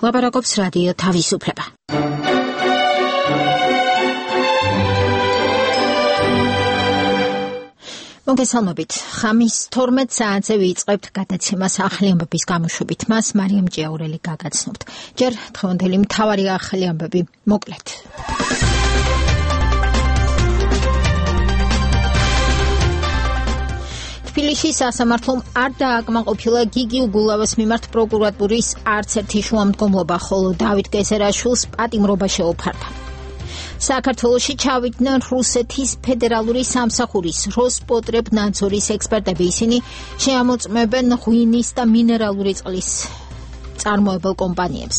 ლაპარაკობს რადიო თავისუფლება. მოგესალმებით. ხამის 12 საათზე ვიწყებთ გადაცემას ახალი ამბების გამოშვებით. მას მარიამ ჭიაურელი გაგაცნობთ. ჯერ დღევანდელი მთავარი ახალი ამბები მოკლედ. თბილისის სასამართლომ არ დააკმაყოფილა გიგი უგულავას მიმართ პროკურატურის არც ერთი შუამდგომლობა, ხოლო დავით გეზერაშვილს პატიმრობა შეუფარდა. საქართველოში ჩავიდნენ რუსეთის ფედერალური სამსახურის როსპოტრებნადზორის ექსპერტები. ისინი შეამოწმებენ ღვინის და მინერალური წყლის წარმოებელ კომპანიებს.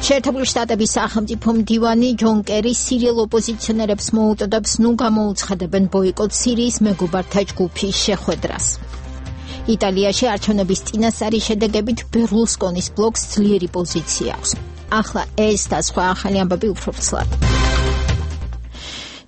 შეერთებული შტატების სახელმწიფო მდივანი ჯონ კერი სირიელ ოპოზიციონერებს მოუწოდებს ნუ გამოუცხადებენ ბოიკოტს სირიის მეგობართა ჯგუფის შეხვედრას. იტალიაში არჩევნების წინასწარი შედეგებით ბერლუსკონის ბლოკს ძლიერი პოზიცია აქვს. ახლა ეს და სხვა ახალი ამბები უფრო ფსლად.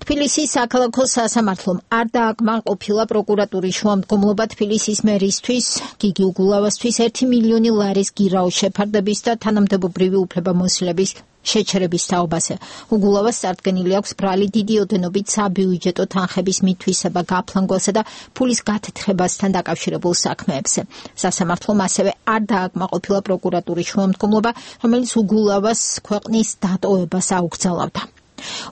თბილისის საქალაქო სასამართლომ არ დააკმაყოფილა პროკურატურის შუამდგომლობა თბილისის მერისთვის გიგი უგულავასთვის 1 მილიონი ლარის გირაოს შეფარდების და თანამდებობრივი უფლებამოსილების შეჩერების თაობაზე. უგულავას წარდგენილი აქვს ბრალი დიდი ოდენობით საბიუჯეტო თანხების მითვისება გაფლანგვასა და ფულის გათეთრებასთან დაკავშირებულ საქმეებზე. სასამართლომ ასევე არ დააკმაყოფილა პროკურატურის შუამდგომლობა, რომელიც უგულავას ქვეყნის დატოვებას აუგზავნებდა.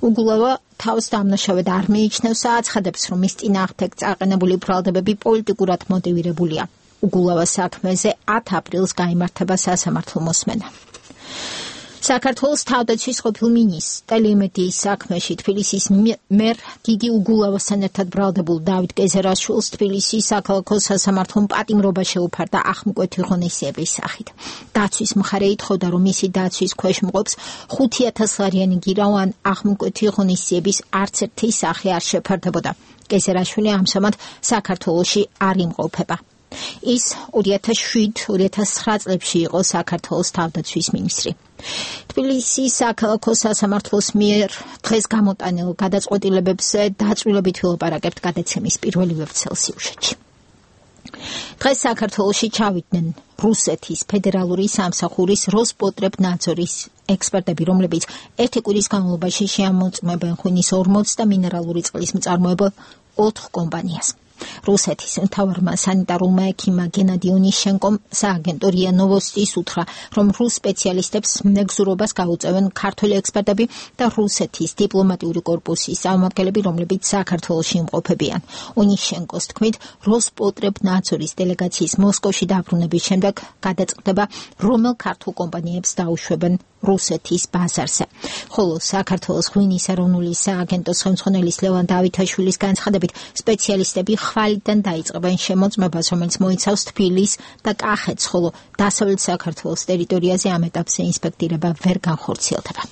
უგულავა თავს დამნაშავედ არ მიიჩნევს, აცხადებს, რომ მის წინააღმდეგ წაყენებული ბრალდებები პოლიტიკურად მოტივირებულია. უგულავას საქმეზე 10 აპრილს გაიმართება სასამართლო მოსმენა. საქართველოს თავდაცვის ყოფილ მინისტრს ტელეიმედიის საქმეში თბილისის მერ გიგი უგულავასთან ერთად ბრალდებულ დავით გეზერაშვილს თბილისის საქალაქო სასამართლომ პატიმრობა შეუფარდა ახმკვეთი ღონისძიების სახით. დაცვის მხარე ითხოვდა, რომ მისი დაცვის ქვეშ მყოფს 5,000 ლარიანი გირაო ან ახმკვეთი ღონისძიების არც ერთი სახე არ შეფარდებოდა. გეზერაშვილი ამჟამად საქართველოში არ იმყოფება. ის 2007-2009 წლებში იყო საქართველოს თავდაცვის მინისტრი. თბილისის საქალაქო სასამართლოს მიერ დღეს გამოტანილ გადაწყვეტილებებზე დაწვრილებით ვილაპარაკებთ გადაცემის პირველი ვეფცელ სიუჟეტში. დღეს საქართველოში ჩავიდნენ რუსეთის ფედერალური სამსახურის როსპოტრებნადზორის ექსპერტები, რომლებიც ერთი კვირის განმავლობაში შეამოწმებენ ღვინის 40 და მინერალური წყლის მწარმოებელ 4 კომპანიას. რუსეთის მთავარმა სანიტარულმა ექიმმა გენადი ონიშენკომ სააგენტო რია ნოვოსტის უთხრა, რომ რუს სპეციალისტებს მეგზურობას გაუწევენ ქართველი ექსპერტები და რუსეთის დიპლომატიური კორპუსის წარმომადგენლები, რომლებიც საქართველოში იმყოფებიან. ონიშენკოს თქმით, როსპოტრებნადზორის დელეგაციის მოსკოვში დაბრუნების შემდეგ გადაწყდება, რომელ ქართულ კომპანიებს დაუშვებენ რუსეთის ბაზარზე. ხოლო საქართველოს ღვინის ეროვნული სააგენტოს ხელმძღვანელის ლევან დავითაშვილის განცხადებით, სპეციალისტები ხვალიდან დაიწყებენ შემოწმებას, რომელიც მოიცავს თბილისს და კახეთს, ხოლო დასავლეთ საქართველოს ტერიტორიაზე ამ ეტაპზე ინსპექტირება ვერ განხორციელდება.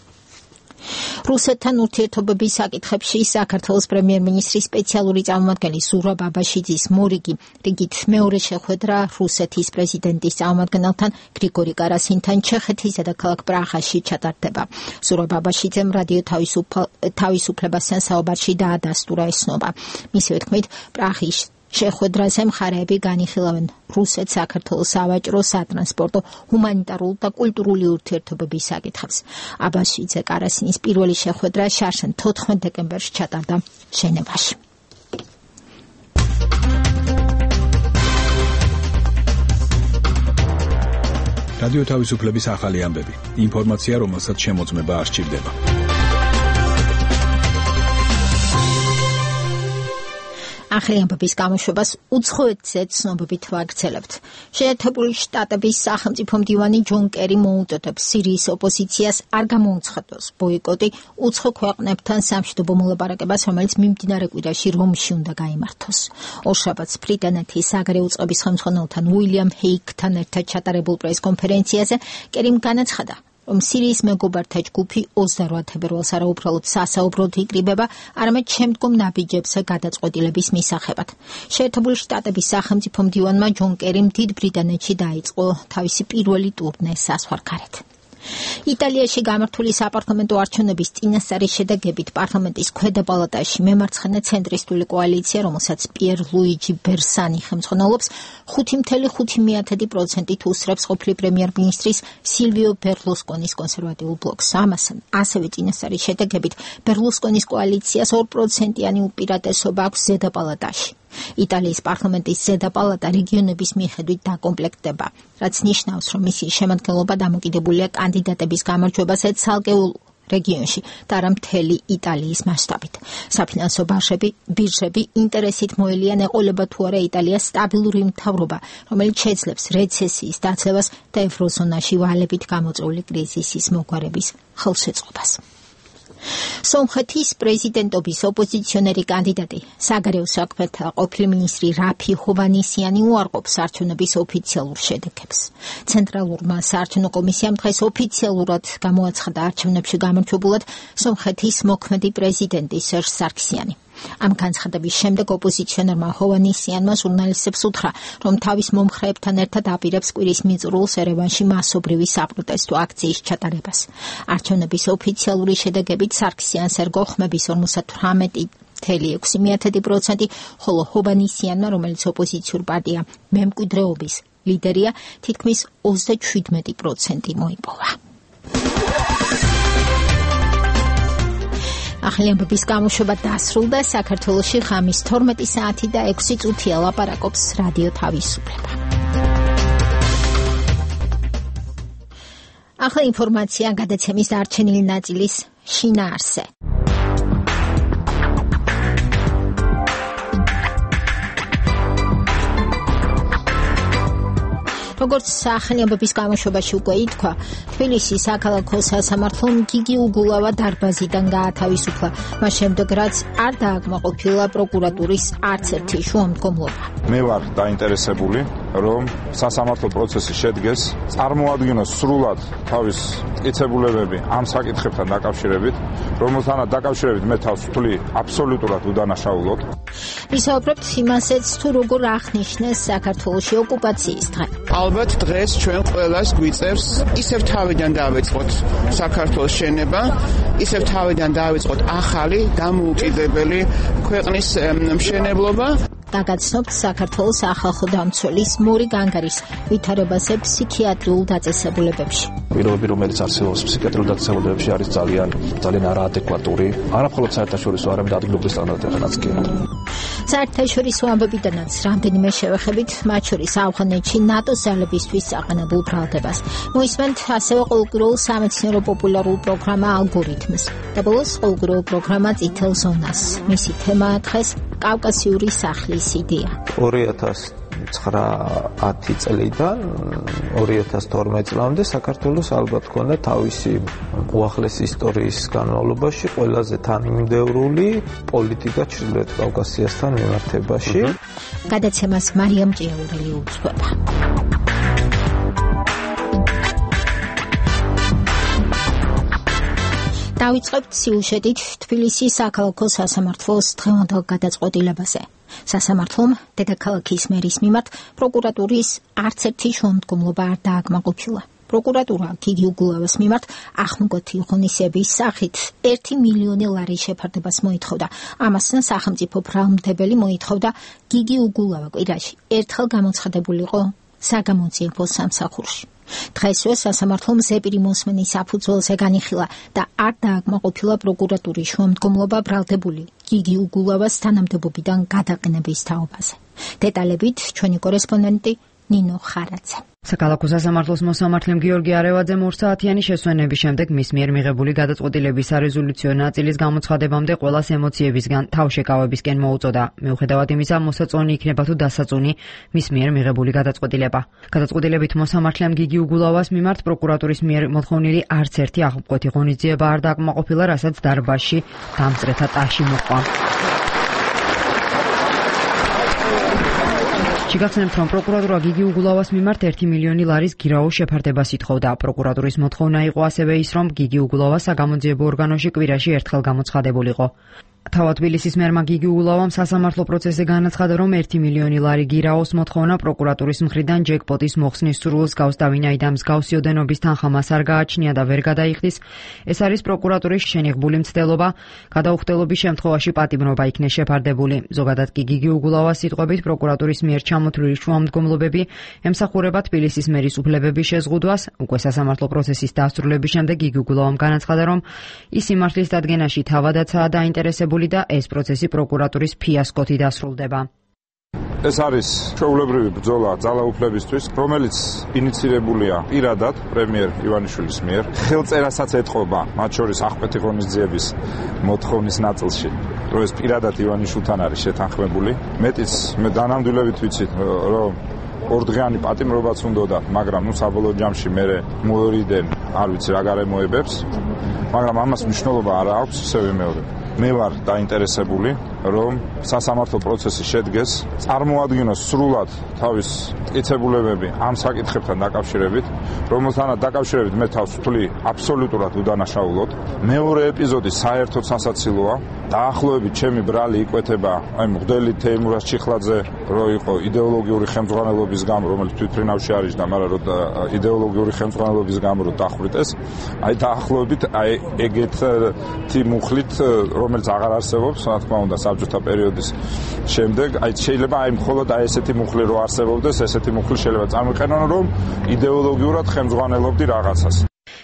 რუსეთთან ურთიერთობების საკითხებში საქართველოს პრემიერ-მინისტრის სპეციალური წარმომადგენელი ზურაბ აბაშიძის მორიგი რიგით მეორე შეხვედრა რუსეთის პრეზიდენტის წარმომადგენელთან გრიგორი კარასინთან ჩეხეთის დედაქალაქ პრაღაში ჩატარდება. ზურაბ აბაშიძემ რადიო თავისუფლებასთან საუბარში დაადასტურა ეს ცნობა. მისივე თქმით, პრაღის შეხვედრაზე მხარეები განიხილავენ რუსეთს საქართველოს სავაჭრო, სატრანსპორტო, ჰუმანიტარულ და კულტურული ურთიერთობების საკითხებს. აბაშიძე კარასინის პირველი შეხვედრა შარშან 14 დეკემბერში ჩატარდა ჟენევაში. რადიო თავისუფლების ახალი ამბები. ინფორმაცია, რომელსაც შემოწმება არ სჭირდება. ახალი ამბების გამოშვებას უცხოეთზე ცნობებით ვაგრძელებთ. შეერთებული შტატების სახელმწიფო მდივანი ჯონ კერი მოუწოდებს სირიის ოპოზიციას არ გამოუცხადოს ბოიკოტი უცხო ქვეყნებთან სამშვიდობო მოლაპარაკებას, რომელიც მიმდინარე კვირაში რომში უნდა გაიმართოს. ორშაბათს ბრიტანეთის საგარეო წყობის ხელმძღვანელთან უილიამ ჰეიკთან ერთად ჩატარებულ პრესკონფერენციაზე კერიმ განაცხადა, რომ სირიის მეგობართა ჯგუფი 28 თებერვალს არაუბრალოდ სასაუბროდ იკრიბება, არამედ შემდგომ ნაბიჯებზე გადაწყვეტილების მისაღებად. შეერთებული შტატების სახელმწიფო მდივანმა ჯონ კერიმ დიდ ბრიტანეთში დაიწყო თავისი პირველი ტურნე საზღვარგარეთ. იტალიაში გამართული საპარლამენტო არჩევნების წინასწარი შედეგებით პარლამენტის ქვედა პალატაში მემარცხენე ცენტრისტული კოალიცია, რომელსაც პიერ ლუიჯი ბერსანი ხელმძღვანელობს, 5.5%-ით უსწრებს ყოფილი პრემიერ-მინისტრის სილვიო ბერლუსკონის კონსერვატიულ ბლოკს. ამასთან, ასევე წინასწარი შედეგებით ბერლუსკონის კოალიციას 2%-იანი უპირატესობა აქვს ზედა პალატაში. იტალიის პარლამენტის ზედა პალატა რეგიონების მიხედვით დაკომპლექტდება, რაც ნიშნავს, რომ მისი შემადგენლობა დამოკიდებულია კანდიდატების გამარჯვებაზე ცალკეულ რეგიონში და არა მთელი იტალიის მასშტაბით. საფინანსო ბირჟები ინტერესით მოელიან ეყოლება თუ არა იტალიას სტაბილური მთავრობა, რომელიც შეძლებს რეცესიის დაცლებას და ევროზონაში ვალებით გამოწვეული კრიზისის მოგვარების ხელშეწყობას. სომხეთის პრეზიდენტობის ოპოზიციონერი კანდიდატი საგარეო საქმეთა ყოფილი მინისტრი რაფი ჰოვანისიანი უარყოფს არჩევნების ოფიციალურ შედეგებს. ცენტრალურმა საარჩევნო კომისიამ დღეს ოფიციალურად გამოაცხადა არჩევნებში გამარჯვებულად სომხეთის მოქმედი პრეზიდენტი სერჟ სარქსიანი. ამ განცხადების შემდეგ ოპოზიციონერმა ჰოვანისიანმა ჟურნალისტებს უთხრა, რომ თავის მომხრეებთან ერთად აპირებს კვირის მიწურულს ერევანში მასობრივი საპროტესტო აქციის ჩატარებას. არჩევნების ოფიციალური შედეგებით სარქსიანს ერგო ხმების 58.6%, ხოლო ჰოვანისიანმა, რომელიც ოპოზიციურ პარტია მემკვიდრეობის ლიდერია, თითქმის 37% მოიპოვა. ახალიანების გამოშვება დასრულდა. საქართველოში ღამის 12 საათი და 6 წუთია ლაპარაკობს რადიო თავისუფლება. ახლა ინფორმაცია გადაცემის დარჩენილი ნაწილის შინაარსზე. როგორც ახალიანების გამოშვებაში უკვე ითქვა, თბილისის საქალაქო სასამართლომ გიგი უგულავა დარბაზიდან გაათავისუფლა, მას შემდეგ რაც არ დააკმაყოფილა პროკურატურის არც ერთი შუამდგომლობა. მე ვარ დაინტერესებული, რომ სასამართლო პროცესი შედგეს, წარმოადგინოს სრულად თავის მტკიცებულებები ამ საკითხებთან დაკავშირებით, რომელთანაც დაკავშირებით მე თავს ვთვლი აბსოლუტურად უდანაშაულოდ. ვისაუბრებთ იმასაც, თუ როგორ აღნიშნეს საქართველოში ოკუპაციის დღე. ალბათ დღეს ჩვენ ყველას გვიწერს ისევ თავიდან დავიწყოთ საქართველოს შენება, ისევ თავიდან დავიწყოთ ახალი დამოუკიდებელი ქვეყნის მშენებლობა. დაგაცნობთ საქართველოს ახალხო დამცველის მური განგარის ვითარებაზე ფსიქიატრიულ დაწესებულებებში. პირობები, რომელიც არსებობს ფსიქიატრიულ დაწესებულებებში, არის ძალიან არაადეკვატური, არა მხოლოდ საერთაშორისო, არამედ ადგილობრივ სტანდარტებთანაც კი. საერთაშორისო ამბებიდანაც რამდენიმე შევეხებით, მათ შორის ავღანეთში ნატოს ძალებისთვის აყენებულ ბრალდებას. მოისმენთ ასევე ყოველკვირეულ სამეცნიერო პოპულარულ პროგრამა ალგორითმს და ბოლოს ყოველკვირეულ პროგრამა წითელ ზონას. მისი თემაა დღეს კავკასიური სახლის იდეა. 2009 წლიდან 2012 წლამდე საქართველოს ალბათ ჰქონდა თავისი უახლესი ისტორიის განმავლობაში ყველაზე თანმიმდევრული პოლიტიკა ჩრდილოეთ კავკასიასთან მიმართებაში. გადაცემას მარიამ ჭიაურელი უძღვება. დავიწყებთ სიუჟეტით თბილისის საქალაქო სასამართლოს დღევანდელ გადაწყვეტილებაზე. სასამართლომ დედაქალაქის მერის მიმართ პროკურატურის არც ერთი შუამდგომლობა არ დააკმაყოფილა. პროკურატურა გიგი უგულავას მიმართ ახმგოთი ღონისების სახით 1 მილიონი ლარის შეფარდებას მოითხოვდა. ამასთან სახელმწიფო ბრალმდებელი მოითხოვდა გიგი უგულავა კვირაში ერთხელ გამოცხადებულიყო საგამოძიებო სამსახურში. დღესვე სასამართლომ ზეპირი მოსმენის საფუძველზე განიხილა და არ დააკმაყოფილა პროკურატურის შუამდგომლობა ბრალდებული გიგი უგულავას თანამდებობიდან გადაყენების თაობაზე. დეტალებით ჩვენი კორესპონდენტი ნინო ხარაძე. საქალაქო სასამართლოს მოსამართლემ გიორგი არევაძემ 2 საათიანი შესვენების შემდეგ მის მიერ მიღებული გადაწყვეტილების სარეზოლუციო ნაწილის გამოცხადებამდე ყველას ემოციებისგან თავშეკავებისკენ მოუწოდა. მიუხედავად იმისა, მოსაწონი იქნება თუ დასაწუნი მის მიერ მიღებული გადაწყვეტილება. გადაწყვეტილებით მოსამართლემ გიგი უგულავას მიმართ პროკურატურის მიერ მოთხოვნილი არც ერთი ახმგოთი ღონისძიება არ დააკმაყოფილა, რასაც დარბაზში დამწრეთა ტაში მოჰყვა. შეგახსენებთ, რომ პროკურატურა გიგი უგულავას მიმართ 1 მილიონი ლარის გირაოს შეფარდებას ითხოვდა. პროკურატურის მოთხოვნა იყო ასევე ის, რომ გიგი უგულავა საგამოძიებო ორგანოში კვირაში ერთხელ გამოცხადებულიყო. თავად თბილისის მერმა გიგი უგულავამ სასამართლო პროცესზე განაცხადა, რომ 1 მილიონი ლარი გირაოს მოთხოვნა პროკურატურის მხრიდან ჯეკპოტის მოხსნის სურვილს გავსდავინაი და მსგავსი ოდენობის თანხა მას არ გააჩნია და ვერ გადაიხდის. ეს არის პროკურატურის შენიღბული მცდელობა, გადაუხდელობის შემთხვევაში პატიმრობა იქნება შეფარდებული. ზოგადად კი გიგი უგულავას სიტყვებით პროკურატურის მიერ ჩამოთვლილი შუამდგომლობები ემსახურება თბილისის მერის უფლებების შეზღუდვას. უკვე სასამართლო პროცესის დასრულების შემდეგ გიგი უგულავამ განაცხადა, რომ ის სიმართლის დადგენაში თავადაცაა დაინტერესებული და ეს პროცესი პროკურატურის ფიასკოთი დასრულდება. ეს არის ჩვეულებრივი ბრძოლა ძალაუფლებისთვის, რომელიც ინიცირებულია პირადად პრემიერ ივანიშვილის მიერ. ხელწერასაც ეთყობა, მათ შორის აღკვეთი ღონისძიების მოთხოვნის ნაწილში, რომ ეს პირადად ივანიშვილთან არის შეთანხმებული. მეტიც მე დანამდვილებით ვიცით, რომ ორდღიანი პატიმრობაც უნდოდა, მაგრამ საბოლოო ჯამში მე მოერიდენ, არ ვიცი რა გარემოებებს, მაგრამ ამას მნიშვნელობა არ აქვს, ისე ვიმეორებ. მე ვარ დაინტერესებული, რომ სასამართლო პროცესი შედგეს, წარმოადგინოს სრულად თავის მტკიცებულებები ამ საკითხებთან დაკავშირებით, რომელთანაც დაკავშირებით მე თავს ვთვლი აბსოლუტურად უდანაშაულოდ. მეორე ეპიზოდი საერთოდ სასაცილოა. დაახლოებით ჩემი ბრალი იკვეთება აი მღვდელი თეიმურაზ ჩიხლაძე, რო იყო იდეოლოგიური ხელმძღვანელობის გამო, რომელიც თვითფრინავში არის და მაგრამ რო იდეოლოგიური ხელმძღვანელობის გამო რო დახვრიტეს, აი დაახლოებით აი ეგეთი მუხლით, რომელიც აღარ არსებობს, რა თქმა უნდა, საბჭოთა პერიოდის შემდეგ, აი შეიძლება აი მხოლოდ აი ესეთი მუხლი რო არსებობდეს, ესეთი მუხლი შეიძლება წარმიყენონ, რომ იდეოლოგიურად ხელმძღვანელობდი რაღაცას.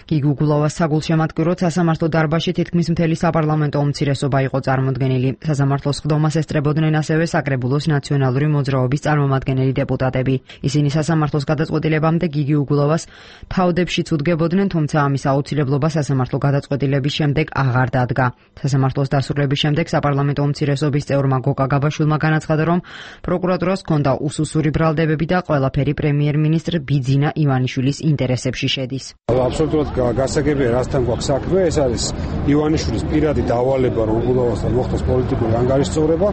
გიგი უგულავას საგულშემატკივროდ სასამართლო დარბაზში თითქმის მთელი საპარლამენტო უმცირესობა იყო წარმოდგენილი. სასამართლოს ხდომას ესწრებოდნენ ასევე საკრებულოს ნაციონალური მოძრაობის წარმომადგენელი დეპუტატები. ისინი სასამართლოს გადაწყვეტილებამდე გიგი უგულავას თავდებშიც უდგებოდნენ, თუმცა ამის აუცილებლობა სასამართლო გადაწყვეტილების შემდეგ აღარ დადგა. სასამართლოს დასრულების შემდეგ საპარლამენტო უმცირესობის წევრმა გოკა გაბაშვილმა განაცხადა, რომ პროკურატურას ჰქონდა უსუსური ბრალდებები და ყველაფერი პრემიერ-მინისტრ ბიძინა ივანიშვილის ინტერესებში შედის. აბსოლუტურად გასაგებია, რასთან გვაქვს საქმე, ეს არის ივანიშვილის პირადი დავალება, რომ უგულავასთან მოხდეს პოლიტიკური ანგარიშწორება,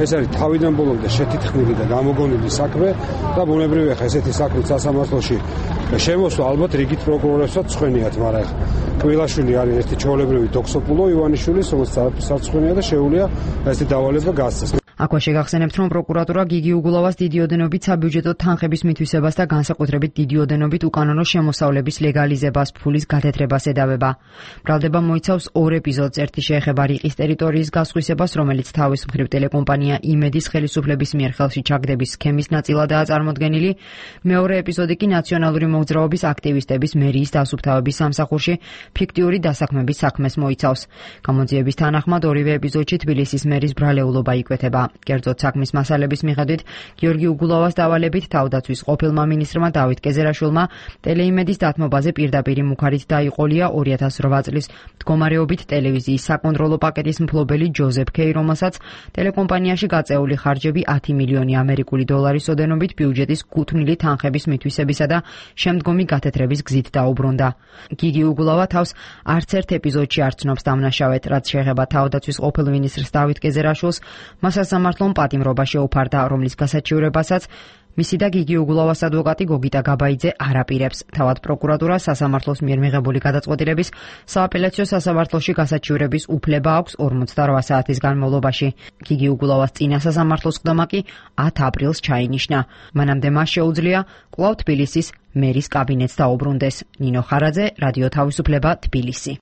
ეს არის თავიდან ბოლომდე შეთითქმული და გამოგონილი საქმე და ბუნებრივია ხა ესეთი საქმე სასამართლოში შემოსვა ალბათ რიგით პროკურორებსაც ცხენიათ, მაგრამ ხა კვილაშვილი არის ერთი ჩვეულებრივი დოქსოპულო ივანიშვილის, რომელიც სარცხენია და შეუძლია ესეთი დავალება გასცეს. აქვე შეგახსენებთ, რომ პროკურატურა გიგი უგულავას დიდი ოდენობით საბიუჯეტო თანხების მითვისებას და განსაკუთრებით დიდი ოდენობით უკანონო შემოსავლების ლეგალიზებას, ფულის გათეთრებას ედავება. ბრალდება მოიცავს ორ ეპიზოდს. ერთი შეეხება რიყის ტერიტორიის გასხვისებას, რომელიც თავის მხრივ ტელეკომპანია იმედის ხელისუფლების მიერ ხელში ჩაგდების სქემის ნაწილადაა წარმოდგენილი. მეორე ეპიზოდი კი ნაციონალური მოძრაობის აქტივისტების მერიის დასუფთავების სამსახურში ფიქტიური დასაქმების საქმეს მოიცავს. გამოძიების თანახმად ორივე ეპიზოდში თბილისის მერის ბრალეულობა იკვეთება. კერძოდ საქმის მასალების მიხედვით გიორგი უგულავას დავალებით თავდაცვის ყოფილმა მინისტრმა დავით კეზერაშვილმა ტელეიმედის დათმობაზე პირდაპირი მუხარით დაიყოლია 2008 წლის მდგომარეობით ტელევიზიის საკონტროლო პაკეტის მფლობელი ჯოზეფ კეი, რომელსაც ტელეკომპანიაში გაწეული ხარჯები 10 მილიონი ამერიკული დოლარის ოდენობით ბიუჯეტის გუთვნილი თანხების მითვისებისა და შემდგომი გათეთრების გზით დაუბრუნდა. გიგი უგულავა თავს არც ერთ ეპიზოდში არ ცნობს დამნაშავედ, რაც შეეხება თავდაცვის ყოფილ მინისტრს დავით კეზერაშვილს, მას სასამართლომ პატიმრობა შეუფარდა, რომლის გასაჩივრებასაც მისი და გიგი უგულავას ადვოკატი გოგიტა გაბაიძე არ აპირებს. თავად პროკურატურა სასამართლოს მიერ მიღებული გადაწყვეტილების სააპელაციო სასამართლოში გასაჩივრების უფლება აქვს 48 საათის განმავლობაში. გიგი უგულავას წინა სასამართლოს ხდომა კი 10 აპრილს ჩაინიშნა. მანამდე მას შეუძლია კვლავ თბილისის მერის კაბინეტს დაუბრუნდეს. ნინო ხარაძე, რადიო თავისუფლება, თბილისი.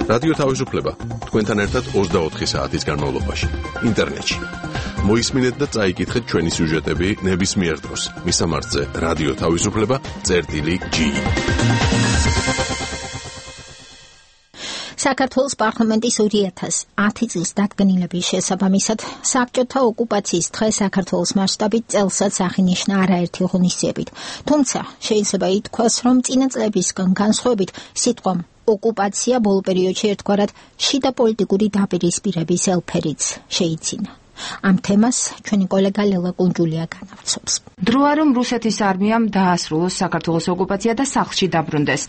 რადიო თავისუფლება თქვენთან ერთად 24 საათის განმავლობაში ინტერნეტში. მოისმინეთ და წაიკითხეთ ჩვენი სიუჟეტები ნებისმიერ დროს. მისამართზე რადიო თავისუფლება.gi. საქართველოს პარლამენტის 2010 წლის დადგენილების შესაბამისად საბჭოთა ოკუპაციის დღე საქართველოს მასშტაბით წელსაც აღინიშნა არაერთი ღონისძიებით. თუმცა შეიძლება ითქვას, რომ წინა წლებისგან განსხვავებით სიტყვა ოკუპაცია ბოლო პერიოდში ერთგვარად შიდა პოლიტიკური დაპირისპირების ელფერიც შეიცინა. ამ თემას ჩვენი კოლეგა ლელა კუნჯულია განავრცობს. დროა რომ რუსეთის არმიამ დაასრულოს საქართველოს ოკუპაცია და სახლში დაბრუნდეს.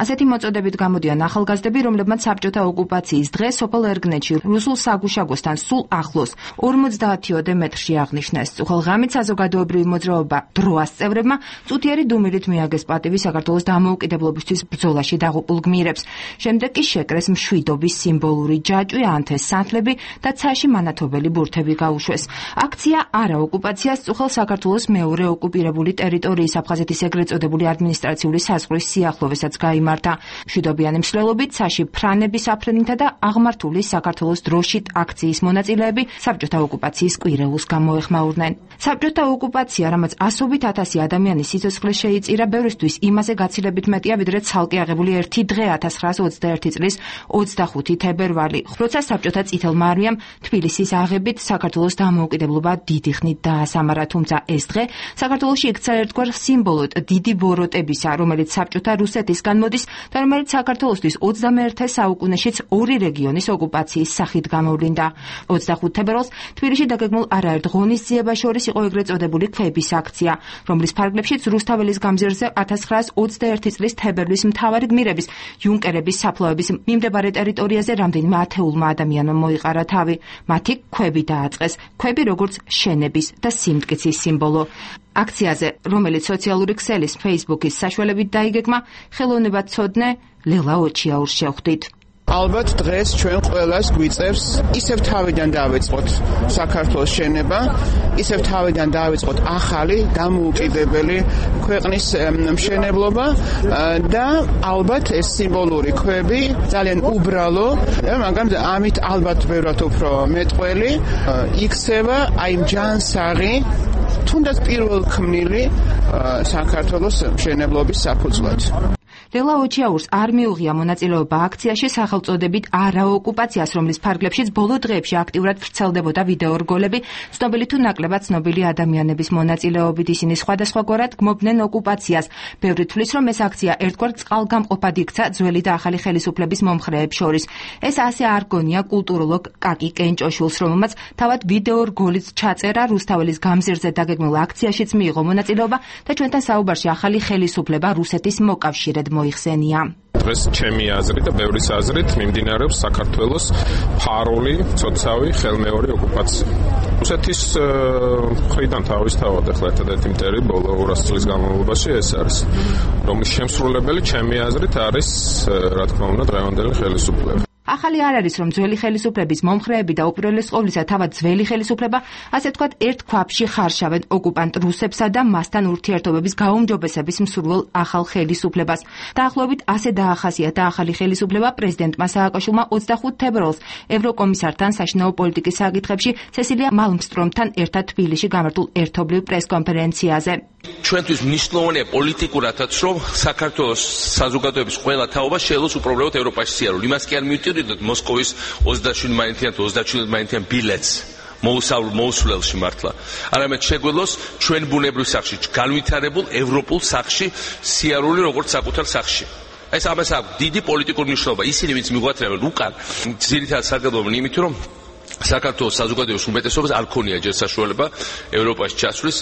ასეთი მოწოდებით გამოდიან ახალგაზრდები, რომლებმაც საბჭოთა ოკუპაციის დღეს სოფელ ერგნეთში რუსულ საგუშაგოსთან სულ ახლოს 50-ოდე მეტრში აღნიშნეს. უხალღამით საზოგადოებრივი მოძრაობა დროას წევრებმა წუთიერი დუმილით მიაგეს პატივი საქართველოს დამოუკიდებლობისთვის ბრძოლაში დაღუპულ გმირებს. შემდეგ კი შეკრეს მშვიდობის სიმბოლური ჯაჭვი, ანთეს სანთლები და ცაში მანათობელი ბურთები გაუშვეს. აქცია არა ოკუპაციას წუხელ საქართველოს მეორე ოკუპირებული ტერიტორიის აფხაზეთის ეგრეთ წოდებული ადმინისტრაციული საზღვრის სიახლოვესაც გაიმართა. მშვიდობიანი მსვლელობით ცაში ფრანების აფრენითა და აღმართული საქართველოს დროშით აქციის მონაწილეები საბჭოთა ოკუპაციის კვირეულს გამოეხმაურნენ. საბჭოთა ოკუპაცია, რამაც ასობით ათასი ადამიანის სიცოცხლე შეიწირა, ბევრისთვის იმაზე გაცილებით მეტია, ვიდრე ცალკე აღებული ერთი დღე 1921 წლის 25 თებერვალი, როცა საბჭოთა წითელმა არმიამ თბილისის აღებით საქართველოს დამოუკიდებლობა დიდი ხნით დაასამარა, თუმცა ეს დღე საქართველოში იქცა ერთგვარ სიმბოლოდ დიდი ბოროტებისა, რომელიც საბჭოთა რუსეთისგან მოდის და რომელიც საქართველოსთვის 21 საუკუნეშიც ორი რეგიონის ოკუპაციის სახით გამოვლინდა. 25 თებერვალს თბილისში დაგეგმულ არაერთ ღონისძიებას შორის იყო ეგრეთ წოდებული ქვების აქცია, რომლის ფარგლებშიც რუსთაველის გამზირზე 1921 წლის თებერვლის მთავარი გმირების იუნკერების საფლავების მიმდებარე ტერიტორიაზე რამდენიმე ათეულმა ადამიანმა მოიყარა თავი. მათი ქვები დააწყეს, ქვები როგორც შენების და სიმტკიცის სიმბოლო. აქციაზე, რომელიც სოციალური ქსელის Facebook-ის საშუალებით დაიგეგმა, ხელოვნებად ცოდნე ლელა ოჩიაურს შევხვდით. ალბათ დღეს ჩვენ ყველას გვიწევს ისევ თავიდან დავიწყოთ საქართველოს შენება, ისევ თავიდან დავიწყოთ ახალი დამოუკიდებელი ქვეყნის მშენებლობა და ალბათ ეს სიმბოლური ქვები ძალიან უბრალო, მაგრამ ამით ალბათ ბევრად უფრო მეტყველი იქცევა აი ჯანსაღი თუნდაც პირველქმნილი საქართველოს მშენებლობის საფუძვლად. ლელა ოჩიაურს არ მიუღია მონაწილეობა აქციაში სახელწოდებით არაოკუპაციას, რომლის ფარგლებშიც ბოლო დღეებში აქტიურად ვრცელდებოდა ვიდეო რგოლები, ცნობილი თუ ნაკლებად ცნობილი ადამიანების მონაწილეობით. ისინი სხვადასხვაგვარად გმობდნენ ოკუპაციას. ბევრი თვლის, რომ ეს აქცია ერთგვარ წყალგამყოფად იქცა ძველი და ახალი ხელისუფლების მომხრეებს შორის. ეს ასე არ გონია კულტუროლოგ კაკი კენჭოშვილს, რომელმაც თავად ვიდეო რგოლიც ჩაწერა რუსთაველის გამზირზე დაგეგმულ აქციაშიც მიიღო მონაწილეობა და ჩვენთან საუბარში ახალი ხელისუფლება რუსეთის მოკავშირედ მოიხსენია. დღეს ჩემი აზრით და ბევრის აზრით მიმდინარეობს საქართველოს ფარული, ცოცავი, ხელმეორე ოკუპაცია. რუსეთის მხრიდან თავისთავად ახლა ერთადერთი მტერი ბოლო 200 წლის განმავლობაში ეს არის, რომლის შემსრულებელი ჩემი აზრით არის, რა თქმა უნდა, დღევანდელი ხელისუფლება. ახალი არ არის, რომ ძველი ხელისუფლების მომხრეები და უპირველეს ყოვლისა თავად ძველი ხელისუფლება, ასე ვთქვათ, ერთ ქვაბში ხარშავენ ოკუპანტ რუსებსა და მასთან ურთიერთობების გაუმჯობესების მსურველ ახალ ხელისუფლებას. დაახლოებით ასე დაახასიათა ახალი ხელისუფლება პრეზიდენტმა სააკაშვილმა 25 თებერვალს ევროკომისართან საშინაო პოლიტიკის საკითხებში სესილია მალმსტრომთან ერთად თბილისში გამართულ ერთობლივ პრესკონფერენციაზე. ჩვენთვის მნიშვნელოვანია პოლიტიკურადაც, რომ საქართველოს საზოგადოების ყველა თაობა შეელოს უპრობლემოდ ევროპაში სიარული. იმას კი არ მივტირდით მოსკოვის 27-27 ბილეთს მოუსვლელში მართლა. არამედ შეგველოს ჩვენ ბუნებრივ სახში, განვითარებულ ევროპულ სახში სიარული როგორც საკუთარ სახში. ეს ამას აქვს დიდი პოლიტიკური მნიშვნელობა. ისინი ვინც მიგვატრევენ უკან, ძირითადად სარგებლობენ იმით, რომ საქართველოს საზოგადოების უმეტესობას არ ქონია ჯერ საშუალება ევროპაში ჩასვლის.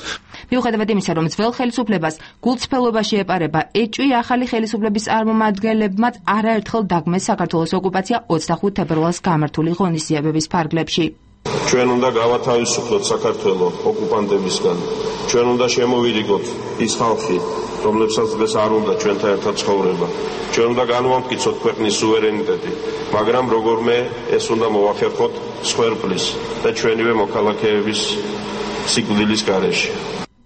მიუხედავად იმისა, რომ ძველ ხელისუფლებას გულწრფელობაში ეპარება ეჭვი, ახალი ხელისუფლების წარმომადგენლებმაც არაერთხელ დაგმეს საქართველოს ოკუპაცია 25 თებერვალს გამართული ღონისძიებების ფარგლებში. ჩვენ უნდა გავათავისუფლოთ საქართველოს ოკუპანტებისგან. ჩვენ უნდა შემოვიდიგოთ ის ხალხი, რომლებსაც დღეს არ უნდა ჩვენთან ერთად ცხოვრება. ჩვენ უნდა განვამტკიცოთ ქვეყნის სუვერენიტეტი, მაგრამ როგორმე ეს უნდა მოვახერხოთ სხვერპლის და ჩვენივე მოქალაქეების სიკვდილის გარეშე.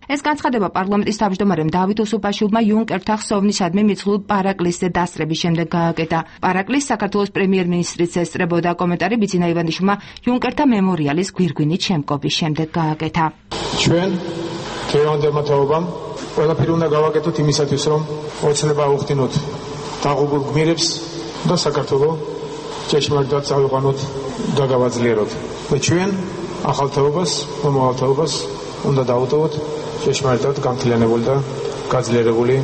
ეს განცხადება პარლამენტის თავმჯდომარემ დავით უსუპაშვილმა იუნკერთა ხსოვნისადმი მიძღლულ პარაკლისზე დასწრების შემდეგ გააკეთა. პარაკლის საქართველოს პრემიერ-მინისტრიც ესწრებოდა, კომენტარი ბიძინა ივანიშვილმა იუნკერთა მემორიალის გვირგვინით შემკობის შემდეგ გააკეთა. ჩვენ დღევანდელმა თაობამ ყველაფერი უნდა გავაკეთოთ იმისათვის, რომ ოცნება აუხდინოთ დაღუპულ გმირებს და საქართველოს ჭეშმარიტად წავიყვანოთ და გავაძლიეროთ. და ჩვენ ახალ თაობას, მომავალ თაობას უნდა დავუტოვოთ ჭეშმარიტად გამთლიანებული და გაძლიერებული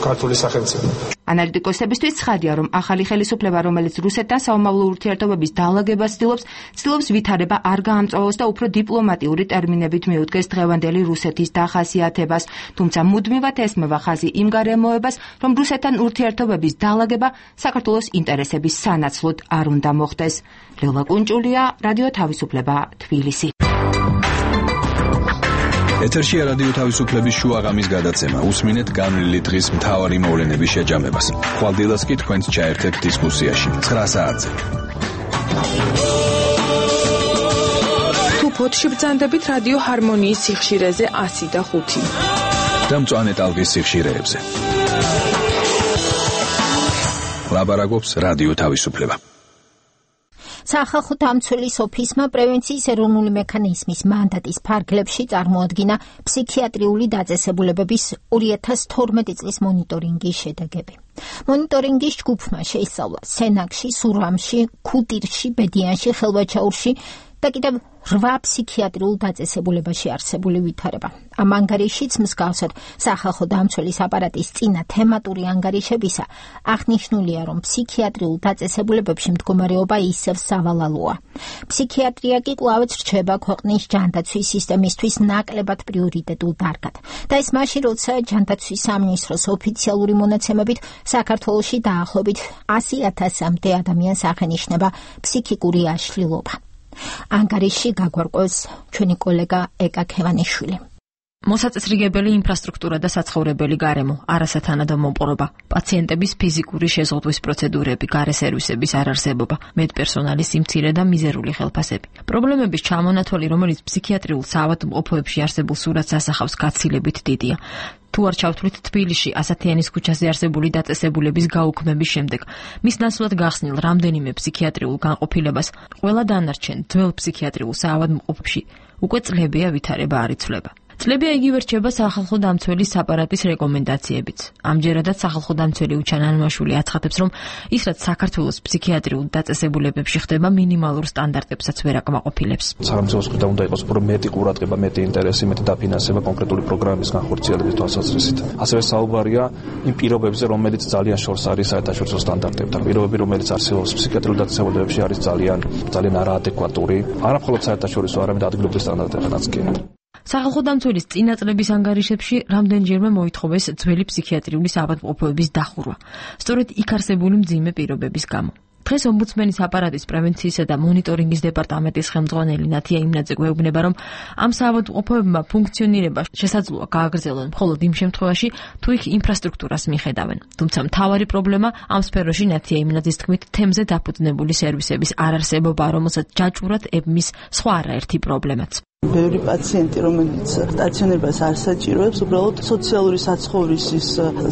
ქართული სახელმწიფო. ანალიტიკოსებისთვის ცხადია, რომ ახალი ხელისუფლება, რომელიც რუსეთთან საომავლო ურთიერთობების დაალაგებას ცდილობს ვითარება არ გაამწვავოს და უფრო დიპლომატიური ტერმინებით მიუდგეს დღევანდელი რუსეთის დახასიათებას, თუმცა მუდმივად ესმევა ხაზი იმ გარემოებას, რომ რუსეთთან ურთიერთობების დაალაგება საქართველოს ინტერესების სანაცვლოდ არ უნდა მოხდეს. ლელა კუნჭულია, რადიო თავისუფლება, თბილისი. ეთერშია რადიო თავისუფლების შუაღამის გადაცემა. უსმინეთ განვლილი დღის მთავარი მოვლენების შეჯამებას. ხვალდილას კი თქვენს ჩაერთეთ დისკუსიაში 9 საათზე. თუ ფოთში ბრძანდებით რადიო ჰარმონიის სიხშირეზე 105 და მწვანე ტალღის სიხშირეებზე. ლაბარაკობს რადიო თავისუფლება. სახალხო დამცველის ოფისმა პრევენციის ეროვნული მექანიზმის მანდატის ფარგლებში წარმოადგინა ფსიქიატრიული დაწესებულებების 2012 წლის მონიტორინგის შედეგები. მონიტორინგის ჯგუფმა შეისწავლა სენაკში, სურამში, ქუტირში, ბედიანში, ხელვაჩაურში და კიდევ 8 ფსიქიატრიულ დაწესებულებაში არსებული ვითარება. ამ ანგარიშიც მსგავსად სახალხო დამცველის აპარატის წინა თემატური ანგარიშებისა აღნიშნულია, რომ ფსიქიატრიულ დაწესებულებებში მდგომარეობა ისევ სავალალოა. ფსიქიატრია კი კვლავაც რჩება ქვეყნის ჯანდაცვის სისტემისთვის ნაკლებად პრიორიტეტულ დარგად. და ეს მაშინ, როცა ჯანდაცვის სამინისტროს ოფიციალური მონაცემებით საქართველოში დაახლოებით 100,000-მდე ადამიანს აღენიშნება ფსიქიკური აშლილობა. ანგარიში გაგვარკვევს ჩვენი კოლეგა ეკა ქევანიშვილი. მოსაწესრიგებელი ინფრასტრუქტურა და საცხოვრებელი გარემო, არასათანადო მომპყრობა, პაციენტების ფიზიკური შეზღუდვის პროცედურები, გარე სერვისების არარსებობა, მედპერსონალის სიმცირე და მიზერული ხელფასები. პრობლემების ჩამონათვალი, რომელიც ფსიქიატრიულ საავადმყოფოებში არსებულ სურათს ასახავს, გაცილებით დიდია. თუ არ ჩავთვლით თბილისში ასათიანის ქუჩაზე არსებული დაწესებულების გაუქმების შემდეგ, მის ნაცვლად გახსნილ რამდენიმე ფსიქიატრიულ განყოფილებას, ყველა დანარჩენ ძველ ფსიქიატრიულ საავადმყოფოში უკვე წლებია ვითარება არ იცვლება. წლებია იგივე რჩება სახალხო დამცველის აპარატის რეკომენდაციებიც. ამჯერადაც სახალხო დამცველი უჩან ანმაშვილი აცხადებს, რომ ის რაც საქართველოს ფსიქიატრიულ დაწესებულებებში ხდება, მინიმალურ სტანდარტებსაც ვერ აკმაყოფილებს. სახელმწიფოს მხრიდან უნდა იყოს უფრო მეტი ყურადღება, მეტი ინტერესი, მეტი დაფინანსება კონკრეტული პროგრამის განხორციელების თვალსაზრისით. ასევე საუბარია იმ პირობებზე, რომელიც ძალიან შორს არის საერთაშორისო სტანდარტებთან. პირობები, რომელიც არსებობს ფსიქიატრიულ დაწესებულებებში, არის ძალიან არაადეკვატური, არა მხოლოდ საერთაშორისო, არამედ ადგილობრივ სტანდარტებთანაც კი. სახალხო დამცველის წინა წლების ანგარიშებში რამდენჯერმე მოითხოვეს ძველი ფსიქიატრიული საავადმყოფოების დახურვა, სწორედ იქ არსებული მძიმე პირობების გამო. დღეს ომბუდსმენის აპარატის პრევენციისა და მონიტორინგის დეპარტამენტის ხელმძღვანელი ნათია იმნაძე გვეუბნება, რომ ამ საავადმყოფოებმა ფუნქციონირება შესაძლოა გააგრძელონ მხოლოდ იმ შემთხვევაში, თუ იქ ინფრასტრუქტურას მიხედავენ. თუმცა მთავარი პრობლემა ამ სფეროში ნათია იმნაძის თქმით თემზე დაფუძნებული სერვისების არარსებობა, რომელსაც ჯაჭვურად ებმის სხვა არაერთი პრობლემაც. ბევრი პაციენტი, რომელიც სტაციონარებას არ საჭიროებს, უბრალოდ სოციალური საცხოვრისის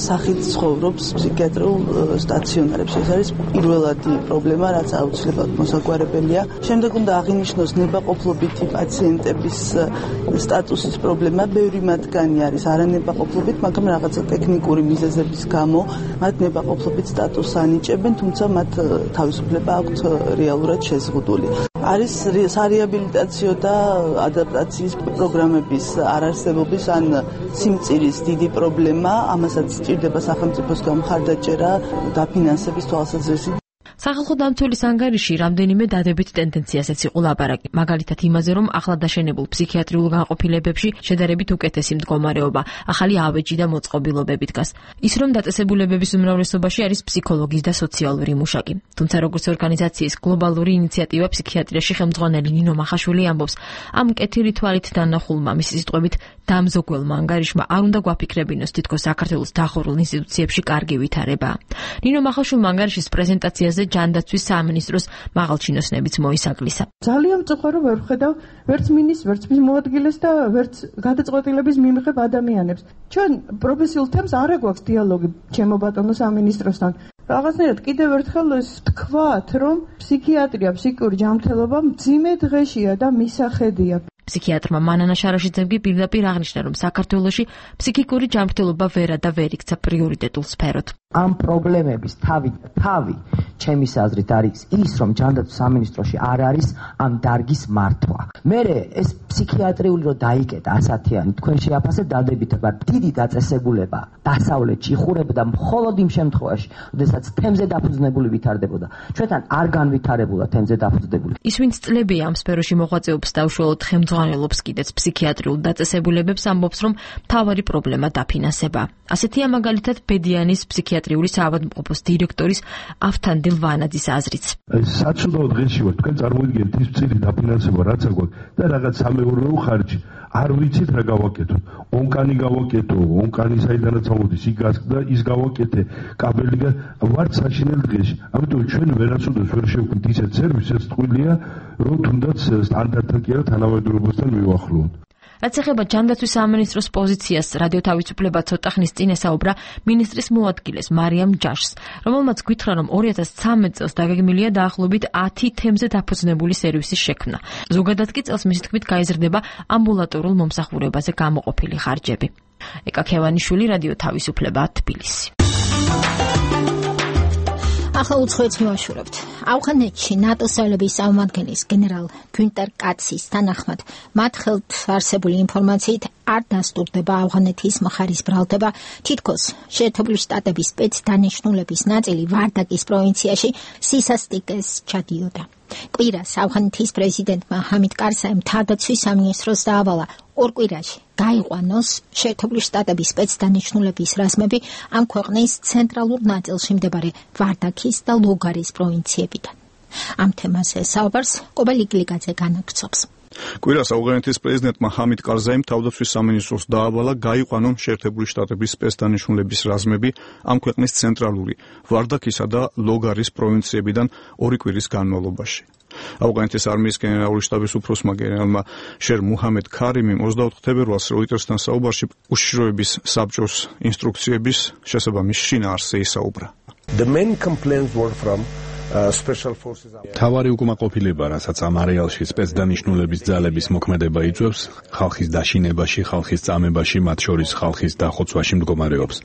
სახით ცხოვრობს ფსიქიატრიულ სტაციონარებში. ეს არის პირველადი პრობლემა, რაც აუცილებლად მოსაგვარებელია. შემდეგ უნდა აღინიშნოს ნებაყოფლობითი პაციენტების სტატუსის პრობლემა. ბევრი მათგანი არის არანებაყოფლობით, მაგრამ რაღაცა ტექნიკური მიზეზების გამო მათ ნებაყოფლობით სტატუსს ანიჭებენ, თუმცა მათ თავისუფლება აქვთ რეალურად შეზღუდული. არის სარეაბილიტაციო და ადაპტაციის პროგრამების არარსებობის ან სიმწირის დიდი პრობლემა, ამასაც სჭირდება სახელმწიფოსგან მხარდაჭერა დაფინანსების თვალსაზრისით. სახალხო დამცველის ანგარიში რამდენიმე დადებით ტენდენციასაც იყო ლაპარაკი, მაგალითად იმაზე, რომ ახლა დაშენებულ ფსიქიატრიულ განყოფილებებში შედარებით უკეთესი მდგომარეობა, ახალი ავეჯი და მოწყობილობები დგას. ის რომ დაწესებულებების უმრავლესობაში არის ფსიქოლოგის და სოციალური მუშაკი. თუმცა როგორც ორგანიზაციის გლობალური ინიციატივა ფსიქიატრიაში ხელმძღვანელი ნინო მახაშვილი ამბობს, ამ კეთილი თვალით დანახულმა მისი სიტყვებით დამზოგველმა ანგარიშმა არ უნდა გვაფიქრებინოს თითქოს საქართველოს დახურულ ინსტიტუციებში კარგი ვითარებაა. ნინო მახაშვილმა ანგარიშის პრეზენტაციაზე ჯანდაცვის სამინისტროს მაღალჩინოსნებიც მოისაკლისა. ძალიან მწუხარ რომ ვერ ვხედავ ვერც მინისტრს, ვერც მის მოადგილეს და ვერც გადაწყვეტილების მიმღებ ადამიანებს. ჩვენ პროფესიულ თემს არ აგვაქვს დიალოგი ჩემო ბატონო სამინისტროსთან. რაღაცნაირად კიდევ ერთხელ ეს თქვათ, რომ ფსიქიატრია, ფსიქიკური ჯანმრთელობა მძიმე დღეშია და მისახედია. ფსიქიატრმა მანანა შარაშიძემ კი პირდაპირ აღნიშნა, რომ საქართველოში ფსიქიკური ჯანმრთელობა ვერ იქცა პრიორიტეტულ სფეროდ. ამ პრობლემების თავი ჩემის აზრით არის ის, რომ ჯანდაცვის სამინისტროში არ არის ამ დარგის მართვა. მერე ეს ფსიქიატრიული რო დაიკეტა ასათიანი თქვენ შეაფასეთ დადებითება დიდი დაწესებულება დასავლეთში იხურებოდა მხოლოდ იმ შემთხვევაში, როდესაც თემზე დაფუძნებული ვითარდებოდა. ჩვენთან არ განვითარებულა თემზე დაფუძნებული. ის ვინც წლებია ამ სფეროში მოღვაწეობს და უშუალოდ ხელმძღვანელობს კიდეც ფსიქიატრიულ დაწესებულებებს, ამბობს, რომ მთავარი პრობლემა დაფინანსება. ასეთია მაგალითად ბედიანის ფსიქიატრიული საავადმყოფოს დირექტორის ავთანდილ ვანაძის აზრიც. საჩუდო დღეში ვარ, თქვენ წარმოიდგინეთ ის წილი დაფინანსება რაც აგვაქვს და რაღაც სამეურნეო ხარჯი. არ ვიცით რა გავაკეთოთ. ონკანი გავაკეთო, ონკანი საიდანაც ამოდის, იგასკდა ის გავაკეთე, კაბელი ვარ საშინელ დღეში. ამიტომ ჩვენ ვერასოდეს ვერ შევქმნით ისეთ სერვისს, ტყუილია, რომ თუნდაც სტანდარტთან კი არა თანამედროვეობასთან მივახლოვოთ. რაც ეხება ჯანდაცვის სამინისტროს პოზიციას, რადიო თავისუფლება ცოტა ხნის წინ ესაუბრა მინისტრის მოადგილეს მარიამ ჯაშს, რომელმაც გითხრა, რომ 2013 წელს დაგეგმილია დაახლოებით 10 თემზე დაფუძნებული სერვისის შექმნა. ზოგადად კი წელს მისი თქმით გაიზრდება ამბულატორულ მომსახურებაზე გამოყოფილი ხარჯები. ეკა ქევანიშვილი, რადიო თავისუფლება, თბილისი. ახლა უცხოეთს მივაშურებთ. ავღანეთში ნატოს ძალების წარმომადგენლის გენერალ გუნტერ კაცის თანახმად მათ ხელთ არსებული ინფორმაციით არ დასტურდება ავღანეთის მხარის ბრალდება, თითქოს შეერთებული შტატების სპეცდანიშნულების ნაწილი ვარდაკის პროვინციაში სისასტიკეს ჩადიოდა. კვირას ავღანეთის პრეზიდენტმა ჰამიდ კარზაიმ თავდაცვის სამინისტროს დაავალა ორ კვირაში გაიყვანოს შეერთებული შტატების სპეცდანიშნულების რაზმები ამ ქვეყნის ცენტრალურ ნაწილში მდებარე ვარდაკის და ლოგარის პროვინციებიდან. ამ თემაზე საუბარს კობალ იკლიკაძე განაგრძობს. კვირას ავღანეთის პრეზიდენტმა ჰამიდ კარზაიმ თავდაცვის სამინისტროს დაავალა გაიყვანონ შეერთებული შტატების სპეცდანიშნულების რაზმები ამ ქვეყნის ცენტრალური ვარდაკისა და ლოგარის პროვინციებიდან ორი კვირის განმავლობაში. ავღანეთის არმიის გენერალური შტაბის უფროსმა გენერალმა შერ მუჰამედ ქარიმიმ 24 თებერვალს როიტერსთან საუბარში უშიშროების საბჭოს ინსტრუქციების შესაბამის შინაარსზე ისაუბრა. The main complaints were from თავარი უკმაყოფილება, რასაც ამ არეალში სპეცდანიშნულების ძალების მოქმედება იწვევს, ხალხის დაშინებაში, ხალხის წამებაში, მათ შორის ხალხის დახოცვაში მდგომარეობს.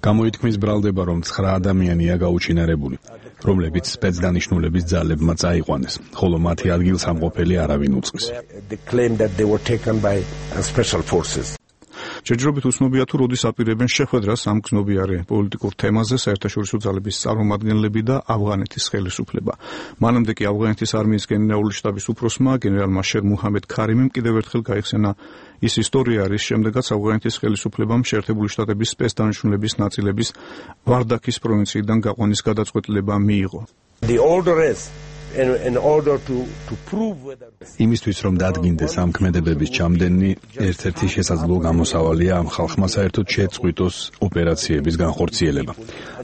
გამოითქმის ბრალდება, რომ 9 ადამიანია გაუჩინარებული, რომლებიც სპეცდანიშნულების ძალებმა წაიყვანეს, ხოლო მათი ადგილსამყოფელი არავინ უწყის. ჯერჯერობით უცნობია თუ როდის აპირებენ შეხვედრას ამ გზნობიარე პოლიტიკურ თემაზე საერთაშორისო ძალების წარმომადგენლები და ავღანეთის ხელისუფლება. მანამდე კი ავღანეთის არმიის გენერალური შტაბის უფროსმა გენერალმა შერ მუჰამედ ქარიმიმ კიდევ ერთხელ გაიხსენა ის ისტორია, რის შემდეგაც ავღანეთის ხელისუფლებამ შეერთებული შტატების სპეცდანიშნულების ნაწილების ვარდაკის პროვინციიდან გაყვანის გადაწყვეტილება მიიღო. იმისთვის რომ დადგინდეს ამ ქმედებების ჩამდენი, ერთ-ერთი შესაძლო გამოსავალია ამ ხალხმა საერთოდ შეწყვიტოს ოპერაციების განხორციელება.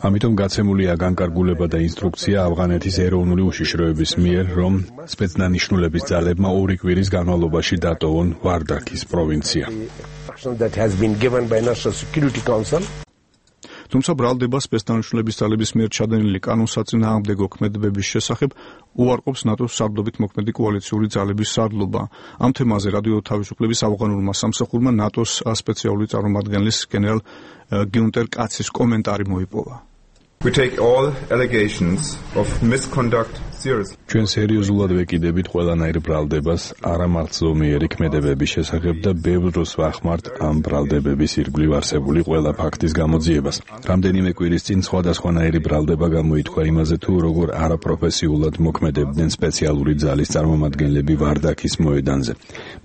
ამიტომ გაცემულია განკარგულება და ინსტრუქცია ავღანეთის ეროვნული უშიშროების მიერ, რომ სპეცდანიშნულების ძალებმა 2 კვირის განმავლობაში დატოვონ ვარდაკის პროვინცია. თუმცა ბრალდება სპეცდანიშნულების ძალების მიერ ჩადენილი კანონსაწინააღმდეგო ქმედებების შესახებ უარყოფს ნატოს სარდლობით მოქმედი კოალიციური ძალების სარდლობა. ამ თემაზე რადიო თავისუფლების ავღანურმა სამსახურმა ნატოს სპეციალური წარმომადგენლის გენერალ გიუნტერ კაცის კომენტარი მოიპოვა. We take all allegations of misconduct seriously. ჩვენ სერიოზულად ვეკიდებით ყველანაირ ბრალდებას არამარტ ზომიერი ქმედებების შესახებ და ბევრ დროს ვახმართ ამ ბრალდებების ირგვლივ არსებული ყველა ფაქტის გამოძიებას. რამდენიმე კვირის წინ სხვადასხვანაირი ბრალდება გამოითქვა იმაზე თუ როგორ არაპროფესიულად მოქმედებდნენ სპეციალური ძალის წარმომადგენლები ვარდაკის მოედანზე.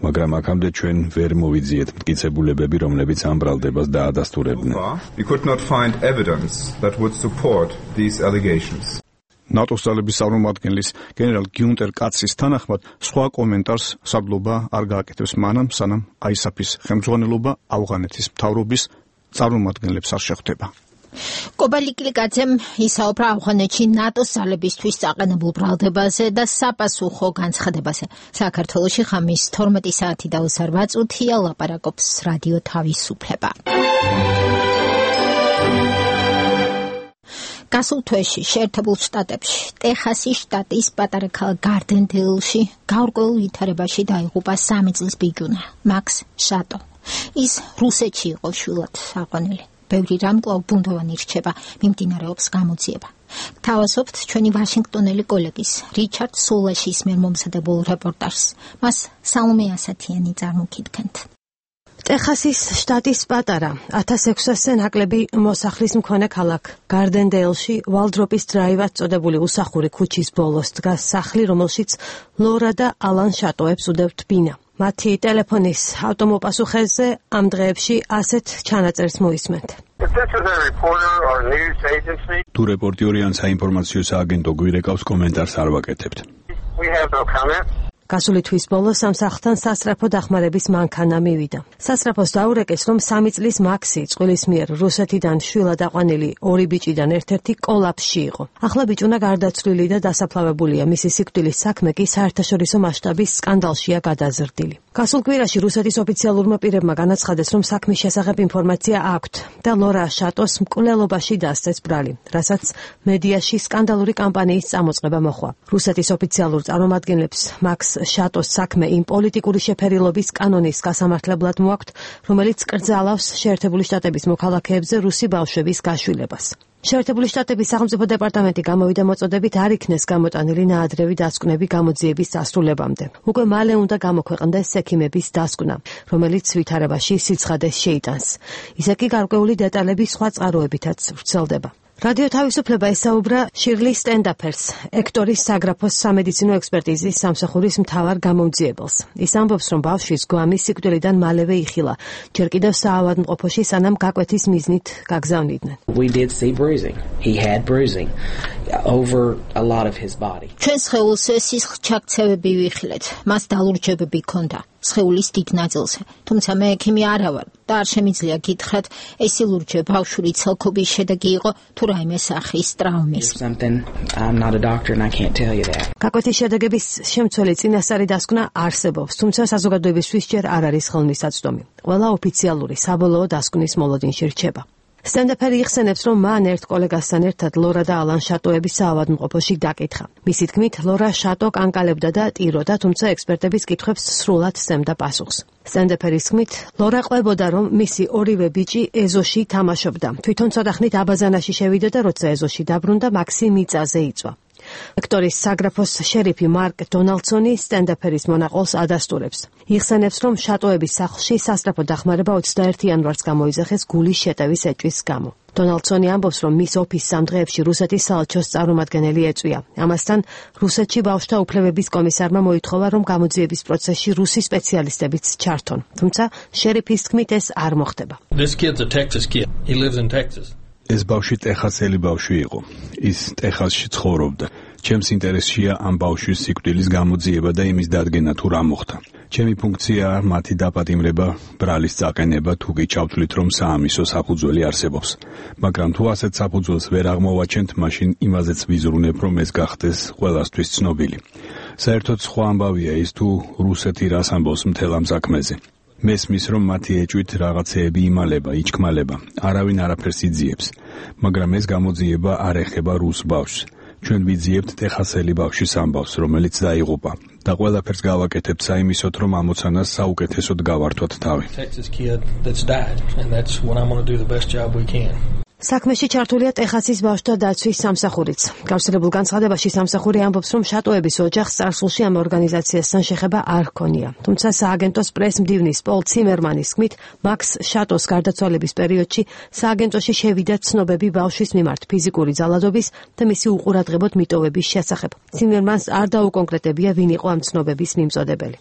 მაგრამ აქამდე ჩვენ ვერ მოვიძიეთ მტკიცებულებები, რომლებიც ამ ბრალდებას დაადასტურებდნენ. We could not find evidence that would support these allegations. ნატოს ძალების წარმომადგენლის გენერალ გიუნტერ კაცის თანახმად სხვა კომენტარს სარდლობა არ გააკეთებს მანამ, სანამ აისაფის ხელმძღვანელობა ავღანეთის მთავრობის წარმომადგენლებს არ შეხვდება. კობალ იკლიკაძემ ისაუბრა ავღანეთში ნატოს ძალებისთვის წაყენებულ ბრალდებაზე და საპასუხო განცხადებაზე. საქართველოში ხამის 12 საათი და 28 წუთია, ლაპარაკობს რადიო თავისუფლება. გასულ თვეში შეერთებულ შტატებში ტეხასის შტატის პატარა ქალაქ გარდენდეილში გაურკვეველ ვითარებაში დაიღუპა 3 წლის ბიჭუნა მაქს შატო. ის რუსეთში იყო შვილად აყვანილი. ბევრი რამ კვლავ ბუნდოვანი რჩება, მიმდინარეობს გამოძიება. Თავასობთ ჩვენი ვაშინგტონელი კოლეგის რიჩარდ სულაშის მიერ მომზადებულ რეპორტაჟს. მას სალომე ასათიანი წარმოგიდგენთ. ტეხასის შტატის პატარა 1600-ზე ნაკლები მოსახლის მქონე ქალაქ გარდენდეილში ვალდროპის დრაივად წოდებული უსახური ქუჩის ბოლოს დგას სახლი, რომელშიც ლორა და ალან შატოებს უდევთ ბინა. მათი ტელეფონის ავტომოპასუხეზე ამ დღეებში ასეთ ჩანაწერს მოისმენთ. თუ რეპორტიორი ან საინფორმაციო სააგენტო გვირეკავს, კომენტარს არ ვაკეთებთ. გასული თვის ბოლოს ამ სახლთან სასწრაფო დახმარების მანქანა მივიდა. სასწრაფოს დაურეკეს, რომ 3 წლის მაქსი წყვილის მიერ რუსეთიდან შვილად აყვანილი 2 ბიჭიდან ერთ-ერთი კოლაფსში იყო. ახლა ბიჭუნა გარდაცვლილი და დასაფლავებულია. მისი სიკვდილის საქმე კი საერთაშორისო მასშტაბის სკანდალშია გადაზრდილი. გასულ კვირაში რუსეთის ოფიციალურმა პირებმა განაცხადეს, რომ საქმის შესახებ ინფორმაცია აქვთ და ლორა შატოს მკვლელობაში დასწეს ბრალი, რასაც მედიაში სკანდალური კამპანიის წამოწყება მოჰყვა. რუსეთის ოფიციალურ წარმომადგენლებს მაქს შატოს საქმე იმ პოლიტიკური შეფერილობის კანონის გასამართლებლად მოაქვთ, რომელიც კრძალავს შეერთებული შტატების მოქალაქეებზე რუსი ბავშვების გაშვილებას. შეერთებული შტატების სახელმწიფო დეპარტამენტი გამოვიდა მოწოდებით არ იქნეს გამოტანილი ნაადრევი დასკვნები გამოძიების დასრულებამდე. უკვე მალე უნდა გამოქვეყნდეს ექიმების დასკვნა, რომელიც ვითარებაში სიცხადეს შეიტანს. ისე კი გარკვეული დეტალები სხვა წყაროებითაც ვრცელდება. რადიო თავისუფლება ესაუბრა შირლი სტენდაფერს, ექტორის საგრაფოს სამედიცინო ექსპერტიზის სამსახურის მთავარ გამომძიებელს. ის ამბობს, რომ ბავშვის გვამი სიკვდილიდან მალევე იხილა, ჯერ კიდევ საავადმყოფოში სანამ გაკვეთის მიზნით გაგზავნიდნენ. ჩვენ სხეულს სისხლჩაქცევები ვიხილეთ, მას დალურჯებები ჰქონდა. სხეულის დიდ ნაწილზე, თუმცა მე ექიმი არა ვარ და არ შემიძლია გითხრათ, ეს ილურჯე ბავშვური ცალკობის შედეგი იყო თუ რაიმე სახის ტრაუმის. გაკვეთის შედეგების შემცველი წინასწარი დასკვნა არსებობს, თუმცა საზოგადოებისთვის ჯერ არ არის ხელმისაწვდომი. ყველა ოფიციალური საბოლოო დასკვნის მოლოდინში რჩება. სტენდაფერი იხსენებს, რომ მან ერთ კოლეგასთან ერთად ლორა და ალან შატოების საავადმყოფოში დაკითხა. მისი თქმით, ლორა შატო კანკალებდა და ტიროდა, თუმცა ექსპერტების კითხვებს სრულად სცემდა პასუხს. სტენდაფერის თქმით, ლორა ყვებოდა, რომ მისი ორივე ბიჭი ეზოში თამაშობდა. თვითონ ცოტა ხნით აბაზანაში შევიდა და როცა ეზოში დაბრუნდა, მაქსი მიწაზე იწვა. ექტორის საგრაფოს შერიფი მარკ დონალდსონი სტენდაფერის მონაყოლს ადასტურებს. იხსენებს, რომ შატოების სახლში სასწრაფო დახმარება 21 იანვარს გამოიძახეს გულის შეტევის ეჭვის გამო. დონალდსონი ამბობს, რომ მის ოფისს ამ დღეებში რუსეთის საელჩოს წარმომადგენელი ეწვია. ამასთან რუსეთში ბავშვთა უფლებების კომისარმა მოითხოვა, რომ გამოძიების პროცესში რუსი სპეციალისტებიც ჩართონ. თუმცა შერიფის თქმით ეს არ მოხდება. ეს ბავშვი ტეხასელი ბავშვი იყო. ის ტეხასში ცხოვრობდა. ჩემს ინტერესშია ამ ბავშვის სიკვდილის გამოძიება და იმის დადგენა თუ რა მოხდა. ჩემი ფუნქციაა მათი დაპატიმრება, ბრალის წაყენება, თუ კი ჩავთვლით, რომ საამისო საფუძველი არსებობს. მაგრამ თუ ასეთ საფუძველს ვერ აღმოვაჩენთ, მაშინ იმაზეც ვიზრუნებ, რომ ეს გახდეს ყველასთვის ცნობილი. საერთოდ სხვა ამბავია ის, თუ რუსეთი რას ამბობს მთელ ამ საქმეზე. მესმის, რომ მათი ეჭვით რაღაცეები იმალება, იჩქმალება, არავინ არაფერს იძიებს, მაგრამ ეს გამოძიება არ ეხება რუს ბავშვს. ჩვენ ვიძიებთ ტეხასელი ბავშვის ამბავს, რომელიც დაიღუპა და ყველაფერს გავაკეთებთ საიმისოდ, რომ ამოცანას საუკეთესოდ გავართოთ თავი. საქმეში ჩართულია ტეხასის ბავშვთა დაცვის სამსახურიც. გავრცელებულ განცხადებაში სამსახური ამბობს, რომ შატოების ოჯახს წარსულში ამ ორგანიზაციასთან შეხება არ ჰქონია. თუმცა სააგენტოს პრეს-მდივნის პოლ ციმერმანის თქმით, მაქს შატოს გარდაცვალების პერიოდში სააგენტოში შევიდა ცნობები ბავშვის მიმართ ფიზიკური ძალადობის და მისი უყურადღებოდ მიტოვების შესახებ. ციმერმანს არ დაუკონკრეტებია, ვინ იყო ამ ცნობების მიმწოდებელი.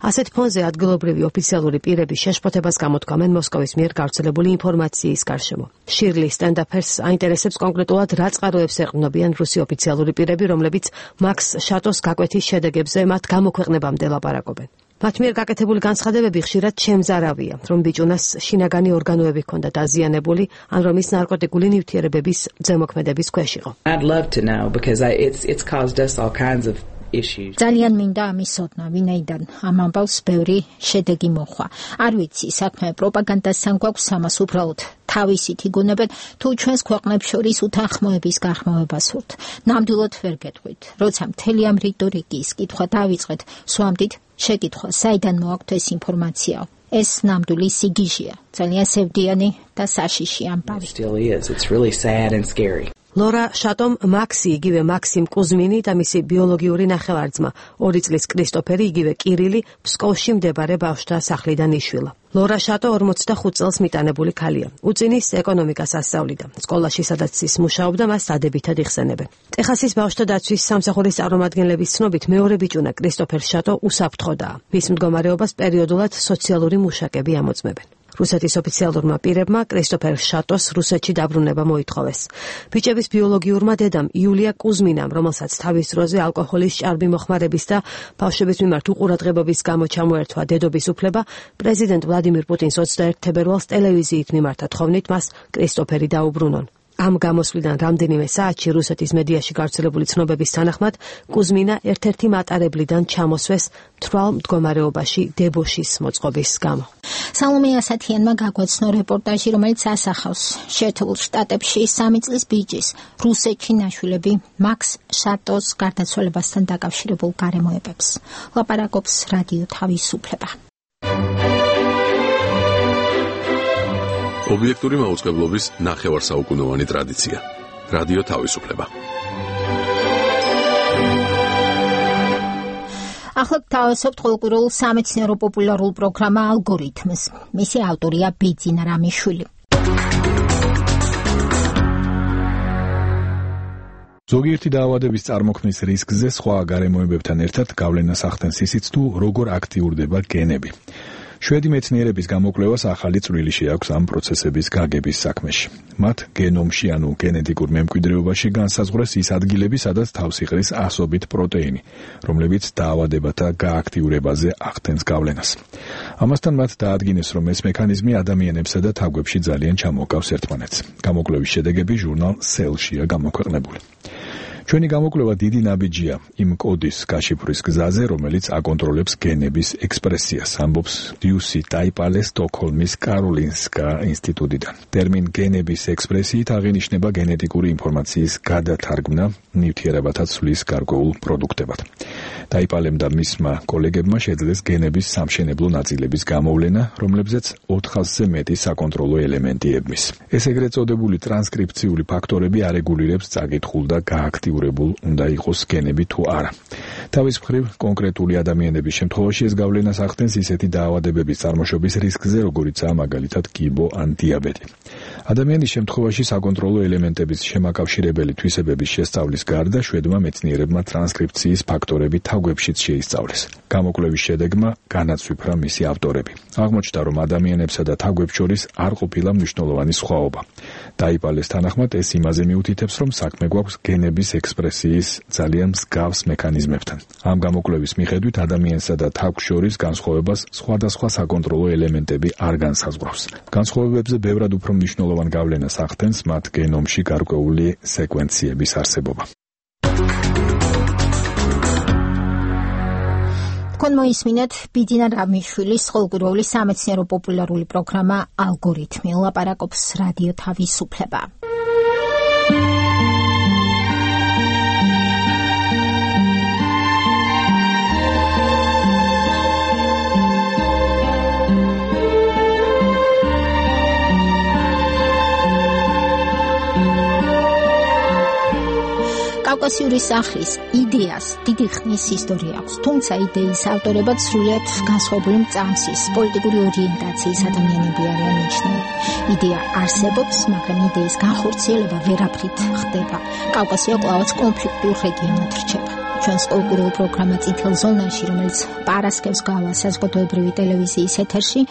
ასეთ ფონზე ადგილობრივი ოფიციალური პირები შეშფოთებას გამოთქვამენ მოსკოვის მიერ გავრცელებული ინფორმაციის გარშემო. შირლი სტენდაფერს აინტერესებს კონკრეტულად რა წყაროებს ეყრდნობიან რუსი ოფიციალური პირები, რომლებიც მაქს შატოს გაკვეთის შედეგებზე მათ გამოქვეყნებამდე ლაპარაკობენ. მათ მიერ გაკეთებული განცხადებები ხშირად შემზარავია, რომ ბიჭუნას შინაგანი ორგანოები ჰქონდა დაზიანებული, ან რომ ის ნარკოტიკული ნივთიერებების ზემოქმედების ქვეშ იყო. ძალიან მინდა ამის ცოდნა, ვინაიდან ამ ამბავს ბევრი შედეგი მოხვა. არ ვიცი, საქმე პროპაგანდასთან გვაქვს ამას უბრალოდ თავისით იგონებენ, თუ ჩვენს ქვეყნებს შორის უთანხმოების გახმოვებას სურთ. ნამდვილად ვერ გეტყვით, როცა მთელი ამ რიტორიკის კითხვა დავიწყეთ, სვამდით შეკითხვა, საიდან მოაქვთ ეს ინფორმაცია. ეს ნამდვილი სიგიჟეა, ძალიან სევდიანი და საშიში ამბავი. ლორა შატომ მაქსი, იგივე მაქსიმ კუზმინი და მისი ბიოლოგიური ნახევარძმა, 2 წლის კრისტოფერი, იგივე კირილი, ფსკოვში მდებარე ბავშვთა სახლიდან იშვილა. ლორა შატო 45 წელს მიტანებული ქალია. უწინის ეკონომიკას ასწავლიდა. სკოლაში, სადაც ის მუშაობდა, მას დადებითად იხსენებენ. ტეხასის ბავშვთა დაცვის სამსახურის წარმომადგენლების ცნობით, მეორე ბიჭუნა კრისტოფერ შატო უსაფრთხოდაა. მის მდგომარეობას პერიოდულად სოციალური მუშაკები ამოწმებენ. რუსეთის ოფიციალურმა პირებმა კრისტოფერ შატოს რუსეთში დაბრუნება მოითხოვეს. ბიჭების ბიოლოგიურმა დედამ იულია კუზმინამ, რომელსაც თავის დროზე ალკოჰოლის ჭარბი მოხმარების და ბავშვების მიმართ უყურადღებობის გამო ჩამოერთვა დედობის უფლება, პრეზიდენტ ვლადიმირ პუტინს 21 თებერვალს ტელევიზიით მიმართა თხოვნით მას კრისტოფერი დაუბრუნონ. ამ გამოსვლიდან რამდენიმე საათში რუსეთის მედიაში გავრცელებული ცნობების თანახმად კუზმინა ერთ-ერთი მატარებლიდან ჩამოსვეს მთვრალ მდგომარეობაში დებოშის მოწყობის გამო. სალომე ასათიანმა გაგვაცნო რეპორტაჟი, რომელიც ასახავს შეერთებულ შტატებში 3 წლის ბიჭის რუსეთში ნაშვილები მაქს შატოს გარდაცვალებასთან დაკავშირებულ გარემოებებს. ლაპარაკობს რადიო თავისუფლება. ობიექტური მაუწყებლობის ნახევარსაუკუნოვანი ტრადიცია. რადიო თავისუფლება. ახლა თავისუფლ ყოველკვირეულ სამეცნიერო პოპულარულ პროგრამა ალგორითმს. მისი ავტორია ბიძინა რამიშვილი. ზოგიერთი დაავადების წარმოქმნის რისკზე სხვა გარემოებებთან ერთად გავლენას ახდენს ისიც თუ როგორ აქტიურდება გენები. შვედი მეცნიერების გამოკვლევას ახალი წვლილი შეაქვს ამ პროცესების გაგების საქმეში. მათ გენომში, ანუ გენეტიკურ მემკვიდრეობაში განსაზღვრეს ის ადგილები, სადაც თავს იყრის ასობით პროტეინი, რომლებიც დაავადებათა გააქტიურებაზე ახდენს გავლენას. ამასთან მათ დაადგინეს, რომ ეს მექანიზმი ადამიანებსა და თაგვებში ძალიან ჩამოჰგავს ერთმანეთს. გამოკვლევის შედეგები ჟურნალ Cell-შია გამოქვეყნებული. ჩვენი გამოკვლევა დიდი ნაბიჯია იმ კოდის გაშიფვრის გზაზე, რომელიც აკონტროლებს გენების ექსპრესიას, ამბობს დიუსი ტაიპალე სტოკჰოლმის კაროლინსკა ინსტიტუტიდან. ტერმინ გენების ექსპრესიით აღინიშნება გენეტიკური ინფორმაციის გადათარგმნა ნივთიერებათა ცვლის გარკვეულ პროდუქტებად. ტაიპალემ და მისმა კოლეგებმა შეძლეს გენების სამშენებლო ნაწილების გამოვლენა, რომლებზეც 400-ზე მეტი საკონტროლო ელემენტი ებმის. ეს ეგრეთ წოდებული ტრანსკრიფციული ფაქტორები არეგულირებს წაკითხულ და გააქტიურებულ უნდა იყოს გენები თუ არა. თავის მხრივ, კონკრეტული ადამიანების შემთხვევაში ეს გავლენას ახდენს ისეთი დაავადებების წარმოშობის რისკზე, როგორიცაა მაგალითად კიბო ან დიაბეტი. ადამიანის შემთხვევაში საკონტროლო ელემენტების შემაკავშირებელი თვისებების შესწავლის გარდა შვედმა მეცნიერებმა ტრანსკრიფციის ფაქტორები თაგვებშიც შეისწავლეს. გამოკვლევის შედეგმა განაცვიფრა მისი ავტორები. აღმოჩნდა, რომ ადამიანებსა და თაგვებს შორის არ ყოფილა მნიშვნელოვანი სხვაობა. ტაიპალეს თანახმად ეს იმაზე მიუთითებს, რომ საქმე გვაქვს გენების ექსპრესიის ძალიან მსგავს მექანიზმებთან. ამ გამოკვლევის მიხედვით ადამიანსა და თაგვს შორის განსხვავებას სხვადასხვა საკონტროლო ელემენტები არ განსაზღვრავს. განსხვავებებზე ბევრად უფრო მნიშვნელოვან გავლენას ახდენს მათ გენომში გარკვეული სეკვენციების არსებობა. თქვენ მოისმინეთ ბიძინა რამიშვილის ყოველკვირეული სამეცნიერო პოპულარული პროგრამა ალგორითმი. ლაპარაკობს რადიო თავისუფლება. კავკასიური სახლის იდეას დიდი ხნის ისტორია აქვს, თუმცა იდეის ავტორებად სრულიად განსხვავებული მწამსის, პოლიტიკური ორიენტაციის ადამიანები არიან მიჩნეული. იდეა არსებობს, მაგრამ იდეის განხორციელება ვერაფრით ხდება. კავკასია კვლავაც კონფლიქტურ რეგიონად რჩება. ჩვენს ყოველკვირეულ პროგრამა წითელ ზონაში, რომელიც პარასკევს გავა საზოგადოებრივი ტელევიზიის ეთერში,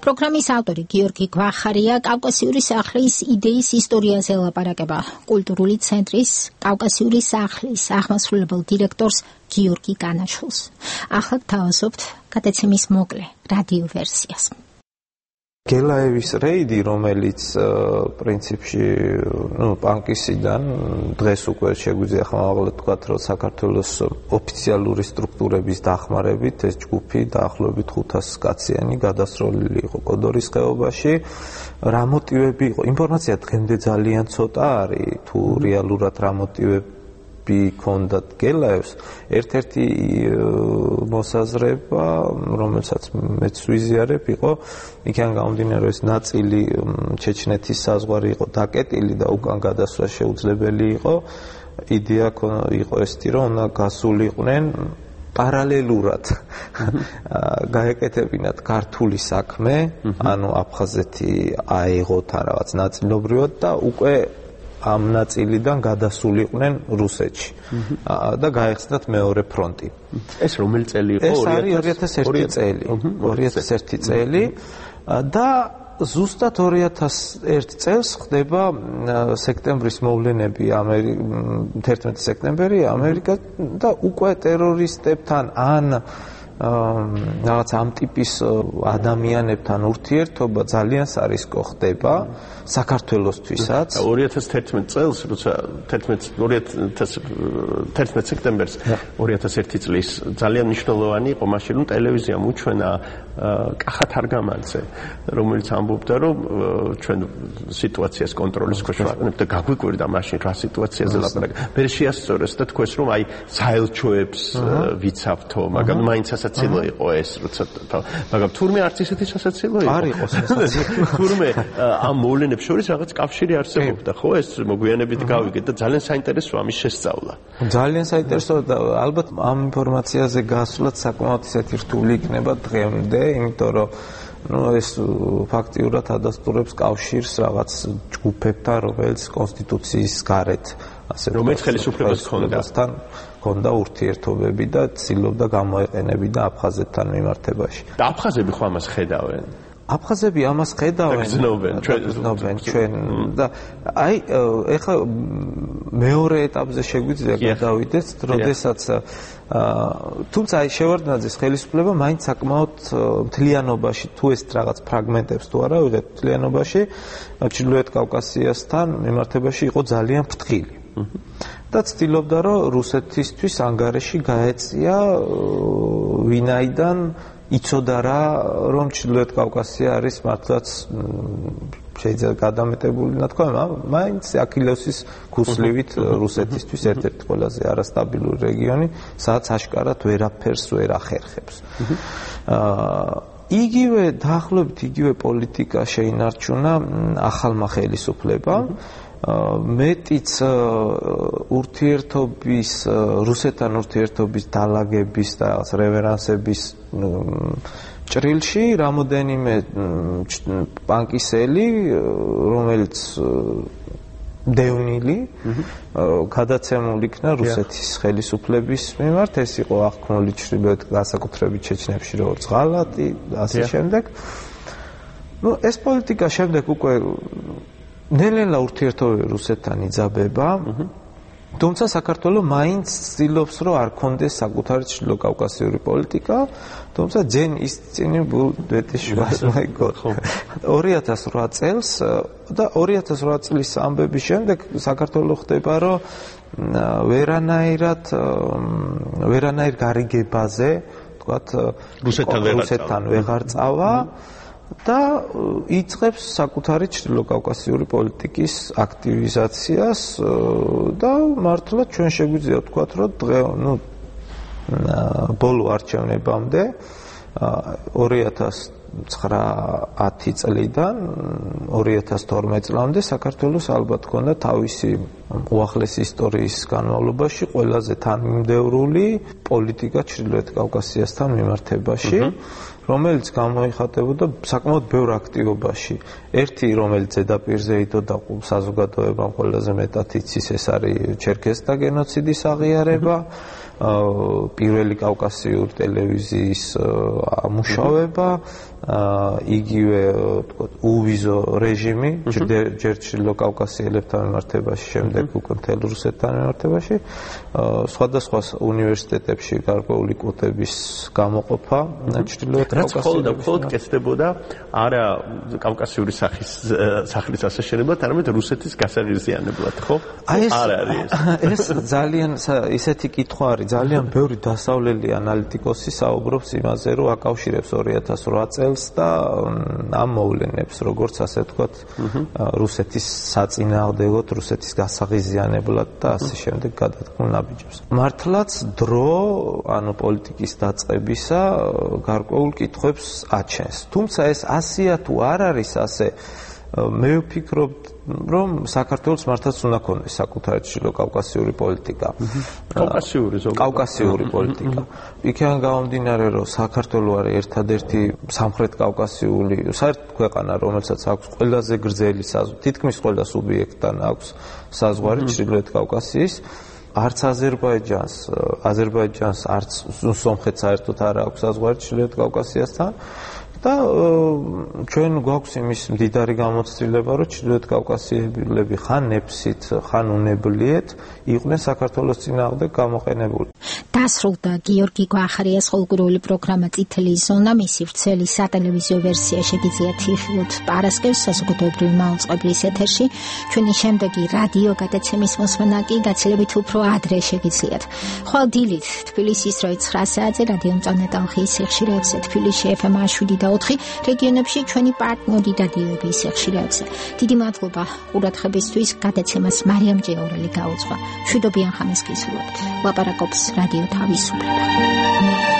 პროგრამის ავტორი გიორგი გვახარია კავკასიური სახლის იდეის ისტორიაზე ლაპარაკება კულტურული ცენტრის კავკასიური სახლის აღმასრულებელ დირექტორს გიორგი განაშვილს. ახლა თავაზობთ გადაცემის მოკლე რადიო ვერსიას. გელაევის რეიდი, რომელიც პრინციპში, პანკისიდან დღეს უკვე შეგვიძლია ხმამაღლა თქვათ, რომ საქართველოს ოფიციალური სტრუქტურების დახმარებით ეს ჯგუფი დაახლოებით 500 კაციანი გადასროლილი იყო კოდორის ხეობაში. რა მოტივები იყო? ინფორმაცია დღემდე ძალიან ცოტა არის, თუ რეალურად რა მოტივები ქონდათ გელაევს. ერთ-ერთი მოსაზრება, რომელსაც მეც ვიზიარებ, იყო იქიდან გამომდინარე, ეს ნაწილი ჩეჩნეთის საზღვარი იყო დაკეტილი და უკან გადასვლა შეუძლებელი იყო. იდეა იყო ესეთი, რომ უნდა გასულიყვნენ პარალელურად გაეკეთებინათ ქართული საქმე, ანუ აფხაზეთი აეღოთ რაღაც ნაწილობრივად და უკვე ამ ნაწილიდან გადასულიყვნენ რუსეთში და გაეხსნათ მეორე ფრონტი. ეს რომელი წელი იყო? ეს არის 2001 წელი. 2001 წელი და ზუსტად 2001 წელს ხდება სექტემბრის მოვლენები 11 სექტემბერი ამერიკა და უკვე ტერორისტებთან ან რაღაც ამ ტიპის ადამიანებთან ურთიერთობა ძალიან სარისკო ხდება საქართველოსთვისაც. 2011 წელს, როცა 11 სექტემბერს 2001 წლის ძალიან მნიშვნელოვანი იყო მაშინ, რომ ტელევიზიამ უჩვენა კახათ არგამანძე, რომელიც ამბობდა, რომ ჩვენ სიტუაციას კონტროლის ქვეშ ვაყენებთ და გაგვიკვირდა მაშინ რა სიტუაციაზე ლაპარაკი. მე შეასწორეს და თქვეს, რომ აი საელჩოებს ვიცავთო, მაგრამ მაინც სასაცილო იყო ეს, როცა მაგრამ თურმე არც ისეთი სასაცილო იყო. არ იყო სასაცილო. თურმე ამ მოვლენებს შორის რაღაც კავშირი არსებობდა, ხო? ეს მოგვიანებით გავიგეთ და ძალიან საინტერესოა ამის შესწავლა. ძალიან საინტერესოა და ალბათ ამ ინფორმაციაზე გასვლაც საკმაოდ ისეთი რთული იქნება დღემდე, იმიტომ რომ ეს ფაქტიურად ადასტურებს კავშირს რაღაც ჯგუფებთან, რომელიც კონსტიტუციის გარეთ ასე რომელიც ხელისუფლებას ჰქონდა ურთიერთობები და ცდილობდა გამოეყენებინა აფხაზეთთან მიმართებაში. და აფხაზები ხო ამას ხედავენ? აფხაზები ამას ხედავენ, გრძნობენ ჩვენ და აი ეხლა მეორე ეტაპზე შეგვიძლია გადავიდეთ, როდესაც თუმცა აი შევარდნაძის ხელისუფლება მაინც საკმაოდ მთლიანობაში თუ ეს რაღაც ფრაგმენტებს თუ არა ვიღეთ მთლიანობაში ჩრდილოეთ კავკასიასთან მიმართებაში იყო ძალიან ფრთხილი. და ცდილობდა რომ რუსეთისთვის ანგარიში გაეწია ვინაიდან იცოდა რა რომ ჩრდილოეთ კავკასია არის მართლაც შეიძლება გადამეტებული ნათქვამი, მაინც აქილევსის ქუსლივით რუსეთისთვის ერთ-ერთი ყველაზე არასტაბილური რეგიონი, სადაც აშკარად ვერაფერს ვერ ახერხებს. იგივე დაახლოებით იგივე პოლიტიკა შეინარჩუნა ახალმა ხელისუფლებამ. მეტიც ურთიერთობის რუსეთთან ურთიერთობის დალაგების და რევერანსების ჭრილში რამოდენიმე პანკისელი, რომელიც დევნილი გადაცემული იქნა რუსეთის ხელისუფლების მიმართ, ეს იყო აღქმული ჩრდილოეთ განსაკუთრებით ჩეჩნებში როგორც ღალატი და ასე შემდეგ. ეს პოლიტიკა შემდეგ უკვე ნელ-ნელა ურთიერთობები რუსეთთან იძაბება, თუმცა საქართველოს მაინც ცდილობს, რომ არ კონდეს საკუთარი ჩრდილოკავკასიური პოლიტიკა, თუმცა ჯენ ის წინი ბუდეტიშვილს მაიგო 2008 წელს და 2008 წლის ამბების შემდეგ საქართველოს ხდება, რომ ვერანაირ გარიგებაზე, თქვათ, რუსეთთან ვეღარ წავა. და იწყებს საკუთარი ჩრდილოკავკასიური პოლიტიკის აქტივიზაციას და მართლა ჩვენ შეგვიძლია ვთქვათ, რომ ბოლო არჩევნებამდე 2009 წლიდან 2012 წლამდე საქართველოს ალბათ ჰქონდა თავისი უახლესი ისტორიის განმავლობაში ყველაზე თანმიმდევრული პოლიტიკა ჩრდილოეთ კავკასიასთან მიმართებაში, რომელიც გამოიხატებოდა საკმაოდ ბევრ აქტივობაში. ერთი, რომელიც ზედაპირზე იდოდა საზოგადოებამ ყველაზე მეტად იცის, ეს არის ჩერქეზთა გენოციდის აღიარება, პირველი კავკასიური ტელევიზიის მუშაობა, იგივე ვთქვათ უვიზო რეჟიმი ჯერ ჩრდილო კავკასიელებთან მიმართებაში, შემდეგ უკვე მთელ რუსეთთან მიმართებაში, სხვადასხვა უნივერსიტეტებში გარკვეული კვოტების გამოყოფა ჩრდილოეთ კავკასიაში. მხოლოდ კეთდებოდა არა კავკასიური სახლის ასაშენებლად, არამედ რუსეთის გასაღიზიანებლად, ხო? არ არის ეს ძალიან ისეთი კითხვა არის, ძალიან ბევრი დასავლელი ანალიტიკოსი საუბრობს იმაზე, რომ აკავშირებს 2008 წელს და ამ მოვლენებს, როგორც ასე ვთქვათ, რუსეთის საწინააღმდეგოდ, რუსეთის გასაღიზიანებლად და ასე შემდეგ გადადგმულ ნაბიჯებს. მართლაც დრო, ანუ პოლიტიკის დაწყებისა გარკვეულ კითხვებს აჩენს. თუმცა ეს ასეა თუ არ არის ასე, მე ვფიქრობ, რომ საქართველოს მართლაც უნდა ქონდეს საკუთარი ჩრდილო კავკასიური პოლიტიკა. კავკასიური პოლიტიკა. იქიდან გამომდინარე, რომ საქართველო არის ერთადერთი სამხრეთ კავკასიული საერთოდ ქვეყანა, რომელსაც აქვს ყველაზე გრძელი საზღვარი, თითქმის ყველა სუბიექტთან აქვს საზღვარი ჩრდილოეთ კავკასიის. არც აზერბაიჯანს, არც სომხეთს საერთოდ არ აქვს საზღვარი ჩრდილოეთ კავკასიასთან. და ჩვენ გვაქვს იმის მდიდარი გამოცდილება, რომ ჩრდილოეთ კავკასიელები ხან ნეფსით, ხან უნებლიეთ იყვნენ საქართველოს წინააღმდეგ გამოყენებული. დასრულდა გიორგი გვახარიას ხოლმრული პროგრამა წითელი ზონა, მისი ვრცელი სატელევიზიო ვერსია შეგიძლიათ იხილოთ პარასკევს საზოგადოებრივი მაუწყებლის ეთერში. ჩვენი შემდეგი რადიო გადაცემის მოსმენა კი გაცილებით უფრო ადრე შეგიძლიათ. ხვალ დილით თბილისის 9 საათზე რადიო მწვანე ტალღის სიხშირეებზე, თბილისში FM 7.4, რეგიონებში ჩვენი პარტნიორი რადიოების სიხშირეებზე. დიდი მადლობა ყურადღებისთვის. გადაცემას მარიამ ჯეორელი გაუძღვა. მშვიდობიან ხანას გისურვებთ. ლაპარაკობს რადიო თავისუფლება.